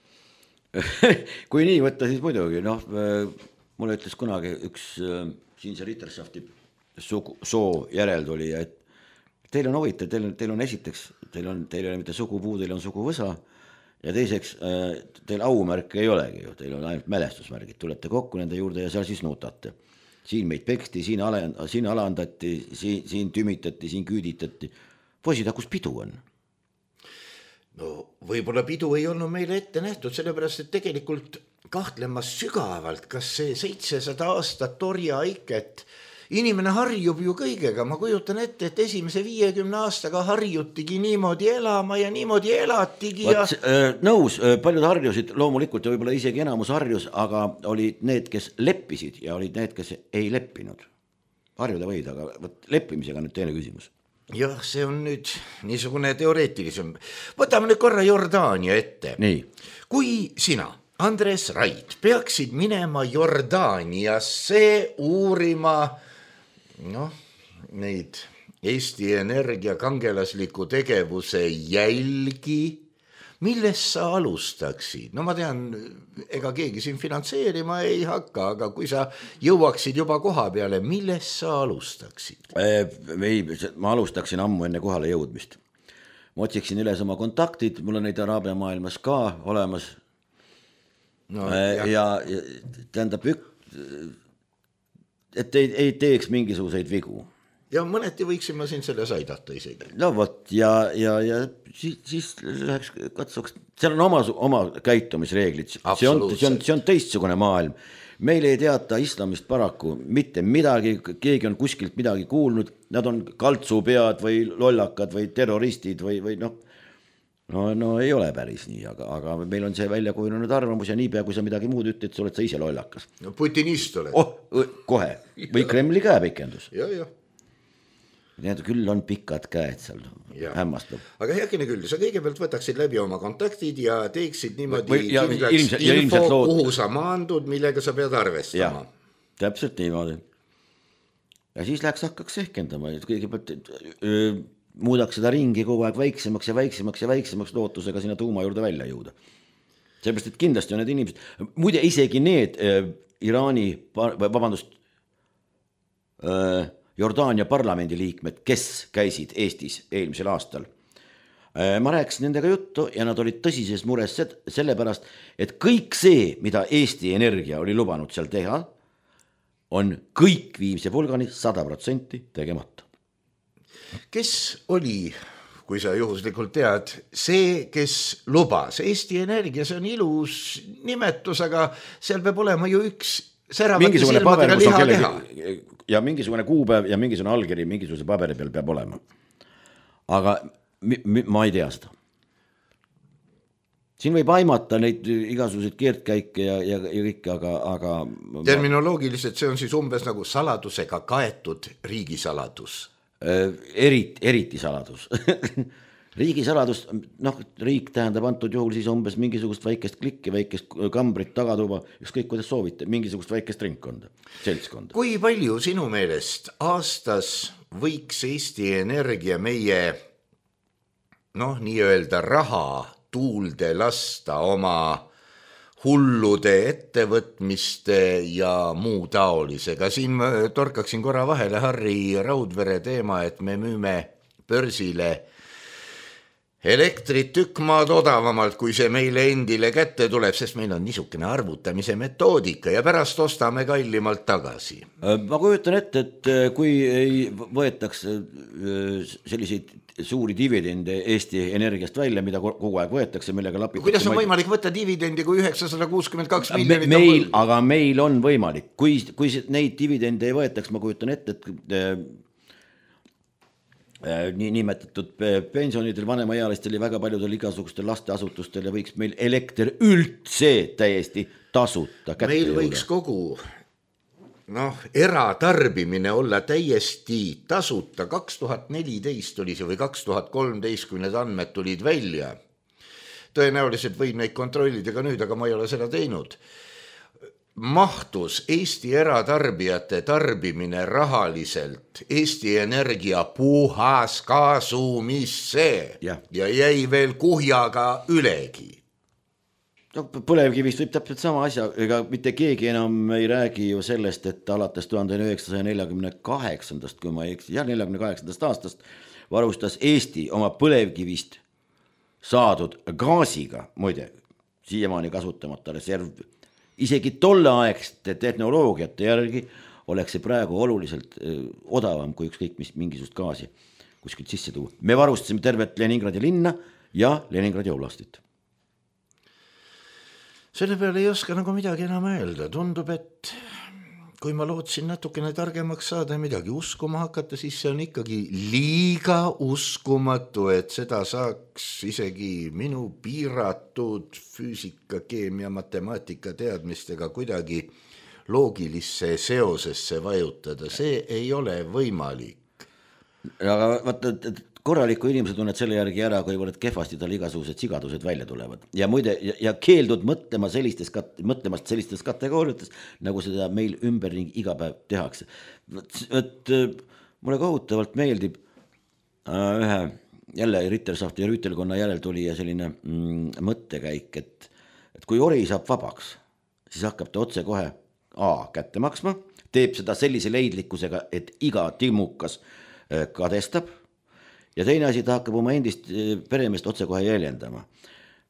Kui nii võtta, siis muidugi, noh, mulle ütles kunagi üks siinse Ritterschafti soo järelduli, et teil on huvitav, teil on, teil on esiteks, teil on, teil ei ole mitte sugupuu, teil on suguvõsa ja teiseks, teil aumärke ei olegi ju, teil on ainult mälestusmärgid, tulete kokku nende juurde ja seal siis nutate. Siin meid peksti, siin, ale, siin alandati, siin, siin tümitati, siin küüditati. Poisid, kus pidu on? No võib-olla pidu ei olnud meile ette nähtud, sellepärast, et tegelikult kahtlemas sügavalt, kas see seitsesada aastat orjaiket, inimene harjub ju kõigega, ma kujutan ette, et esimese viiekümne aastaga harjutigi niimoodi elama ja niimoodi elatigi. Ja... Vaat, äh, nõus, paljud harjusid loomulikult ja võib-olla isegi enamus harjus, aga olid need, kes leppisid ja olid need, kes ei leppinud. Harjuda võid, aga võt, leppimisega nüüd teine küsimus. Jah, see on nüüd niisugune teoreetilisem. Võtame nüüd korra Jordaania ette. Nii. Kui sina, Andres Raid, peaksid minema Jordaaniasse uurima noh, neid Eesti Energia kangelasliku tegevuse jälgi, millest sa alustaksid? No ma tean, ega keegi siin finantseerima ei hakka, aga kui sa jõuaksid juba koha peale, millest sa alustaksid? Ei, ma alustaksin ammu enne kohale jõudmist. Ma otsiksin üles oma kontaktid, mul on neid Araabia maailmas ka olemas. No, ja, ja, ja tähendab ük... et ei, ei teeks mingisuguseid vigu. ja mõneti võiksime siin selles aidata isegi. No vot, ja, ja, ja siis, siis läheks katsuks, seal on oma, oma käitumisreeglid, see on, see, on, see on teistsugune maailm. Meil ei teata islamist paraku mitte midagi, keegi on kuskilt midagi kuulnud, nad on kaltsupead või lollakad või terroristid või, või noh, no, no ei ole päris nii, aga, aga meil on see välja kujunenud arvamus ja niipea, kui sa midagi muud ütled, sa oled sa ise lollakas. No putinist oled. Oh, kohe. Või Kremli käepikendus. Ja, ja. Need küll on pikad käed seal, hämmastab. Aga heakene küll, sa kõigepealt võtaksid läbi oma kontaktid ja teeksid niimoodi või, ja, kindlaks ilmselt, info, lood... kuhu sa maandud, millega sa pead arvestama. Ja, täpselt niimoodi. Ja siis läheks hakkaks ehkendama, et kõigepealt öö, muudaks seda ringi kogu aeg väiksemaks ja väiksemaks ja väiksemaks lootusega sinna tuuma juurde välja jõuda. Seepärast, et kindlasti on need inimesed, muide isegi need öö, Iraani, vabandust, öö, Jordaania parlamendi liikmed, kes käisid Eestis eelmisel aastal. Ma rääkisin nendega juttu ja nad olid tõsises mures sellepärast, et kõik see, mida Eesti Energia oli lubanud seal teha, on kõik viimse pulgani sada protsenti tegemata. Kes oli, kui sa juhuslikult tead, see, kes lubas? Eesti Energia, see on ilus nimetus, aga seal peab olema ju üks säravate silmadega liha keha. Ja mingisugune kuupäev ja mingisugune allkiri mingisuguse paberi peal peab olema. Aga mi, mi, ma ei tea seda. Siin võib aimata neid igasuguseid keertkäike ja, ja, ja kõike, aga... aga terminoloogiliselt see on siis umbes nagu saladusega kaetud riigisaladus. Eriti, eriti saladus. Riigisaladus, noh, riik tähendab antud juhul siis umbes mingisugust väikest klikki, väikest kambrit, tagatuba, ükskõik kuidas soovite, mingisugust väikest ringkonda, seltskonda. Kui palju sinu meelest aastas võiks Eesti Energia meie, noh, nii-öelda raha tuulde lasta oma hullude ettevõtmiste ja muu taolisega? Siin ma torkaksin korra vahele Harri Raudvere teema, et me müüme börsile elektrit tükk maad odavamalt, kui see meile endile kätte tuleb, sest meil on niisugune arvutamise metoodika ja pärast ostame kallimalt tagasi. Ma kujutan ette, et kui ei võetaks selliseid suuri dividende Eesti Energiast välja, mida kogu aeg võetakse, millega lapitakse... Kuidas on võimalik võtta dividendi, kui üheksasada kuuskümmend kaks miljonit meil, on... Aga meil on võimalik. Kui, kui neid dividende ei võetaks, ma kujutan ette, et... nii nimetatud pensionidel, vanemaealistel ja väga paljudel igasugustel lasteasutustel ja võiks meil elekter üldse täiesti tasuta kätte meil võiks jõuda. Kogu noh, eratarbimine olla täiesti tasuta. kaks tuhat neliteist oli see või kaks tuhat kolmteist, kui need andmed tulid välja. Tõenäoliselt võib neid kontrollida ka nüüd, aga ma ei ole seda teinud. Mahtus Eesti eratarbijate tarbimine rahaliselt Eesti Energia puhas kasumisse ja, ja jäi veel kuhjaga ülegi. No, põlevkivist võib täpselt sama asja, ega mitte keegi enam ei räägi ju sellest, et alates tuhande üheksasaja neljakümne kaheksandast, kui ma ei eksi, ja neljakümne kaheksandast aastast varustas Eesti oma põlevkivist saadud gaasiga, muide, siiamaani kasutamata reserv. Isegi tolleaegsete tehnoloogiate järgi oleks see praegu oluliselt odavam kui ükskõik mis mingisugust gaasi kuskilt sisse tuua. Me varustasime tervet Leningradi linna ja Leningradi oblastit. Selle peale ei oska nagu midagi enam öelda. Tundub, et kui ma lootsin natukene targemaks saada ja midagi uskuma hakata, siis see on ikkagi liiga uskumatu, et seda saaks isegi minu piiratud füüsika, keemia, matemaatika teadmistega kuidagi loogilisse seosesse vajutada. See ei ole võimalik. Aga vaata, korraliku inimese tunned selle järgi ära, kui võrd kehvasti tal igasugused sigadused välja tulevad. Ja muide, ja, ja keeldud mõtlema sellistes, mõtlemast sellistes kategooriates, nagu seda meil ümberring iga päev tehakse. Et mulle kohutavalt meeldib äh, ühe jälle Rittersafti ja Rüütelkonna järel tuli ja selline mm, mõttekäik, et, et kui ori saab vabaks, siis hakkab ta otse kohe A kätte maksma, teeb seda sellise leidlikkusega, et iga timukas äh, kadestab, ja teine asi, ta hakkab oma endist peremeest otse kohe jäljendama.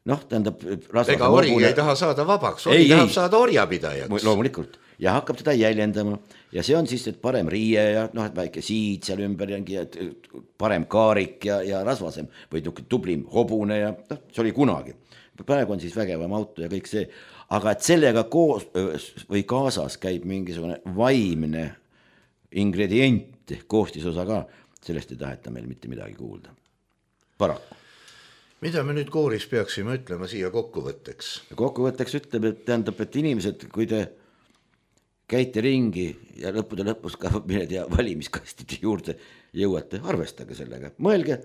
Noh, tähendab... Ega ori ei taha saada vabaks, ori ei, tahab ei. saada orjapidajaks. Loomulikult. ja hakkab teda jäljendama ja see on siis, et parem riie ja noh, et väike siid seal ümber ja parem kaarik ja, ja rasvasem või tublim hobune ja noh, see oli kunagi. Praegu on siis vägevam auto ja kõik see, aga et sellega koos või kaasas käib mingisugune vaimne ingredient, koostisosa ka, sellest ei taheta meil mitte midagi kuulda. Paraku. Mida me nüüd kooris peaksime ütlema siia kokkuvõtteks? Kokkuvõtteks ütleb, et tähendab, et inimesed, kui te käite ringi ja lõppude lõpus ka mined ja valimiskastide juurde jõuate, arvestage sellega. Mõelge,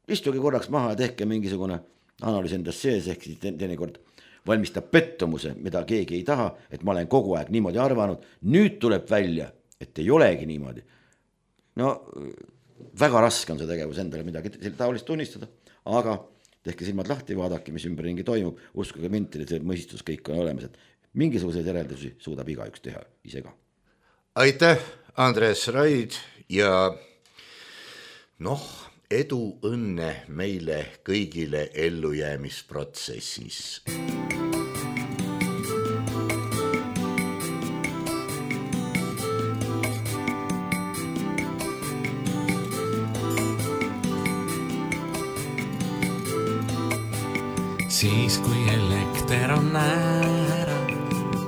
istuge korraks maha ja tehke mingisugune analüüs endast sees, ehk siis teinekord valmistab pettumuse, mida keegi ei taha, et ma olen kogu aeg niimoodi arvanud. Nüüd tuleb välja, et ei olegi niimoodi. No väga raske on see tegevus endale midagi taolist tunnistada, aga tehke silmad lahti, vaadake, mis ümberringi toimub, uskuge mind, see mõistus kõik on olemas, et mingisuguseid järeldusi suudab igaüks teha ise ka. Aitäh, Andres Raid ja noh, edu õnne meile kõigile ellujäämisprotsessis. Siis kui elekter on ära,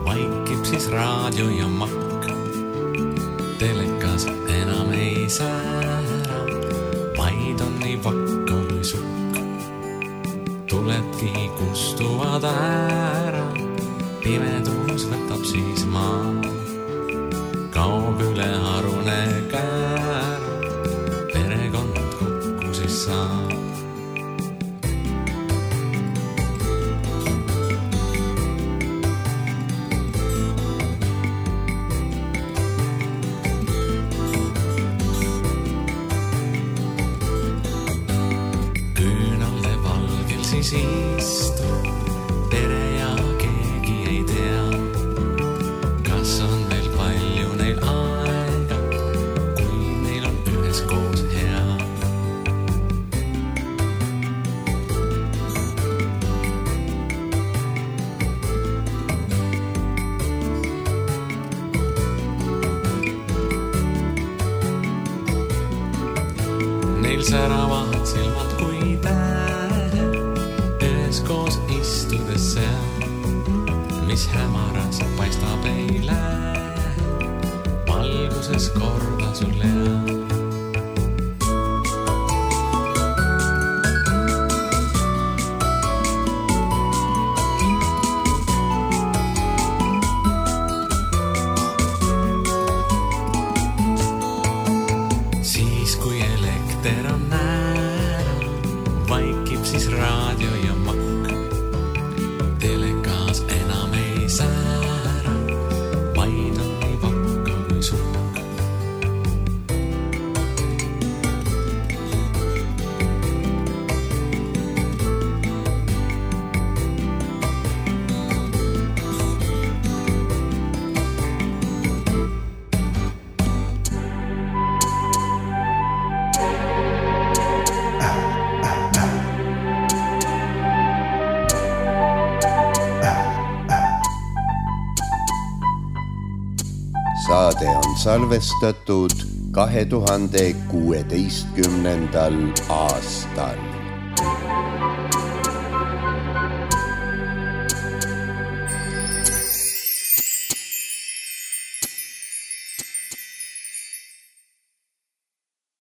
vaikib siis raadio ja makk. Telekas enam ei säära, vaid on nii vakka kui sukk. Tuledki kustuvad ära, pimedus võtab siis maa. Kaob üle harune käära, perekond kokku siis saab. Istu, tere ja keegi ei tea, kas on veel palju neil aega, kui neil on ühes koos hea. Neil säravad silmad kui tähe, koos istudes seal, mis hämaras paistab ei lähe, valguses korda sul hea. Siis kui elekter on ära, vaikib siis raadio ja makk. Telekas enam ei säära, vaid on nii vakka kui sukk. Saade on salvestatud kahe tuhande kuueteistkümnendal aastal.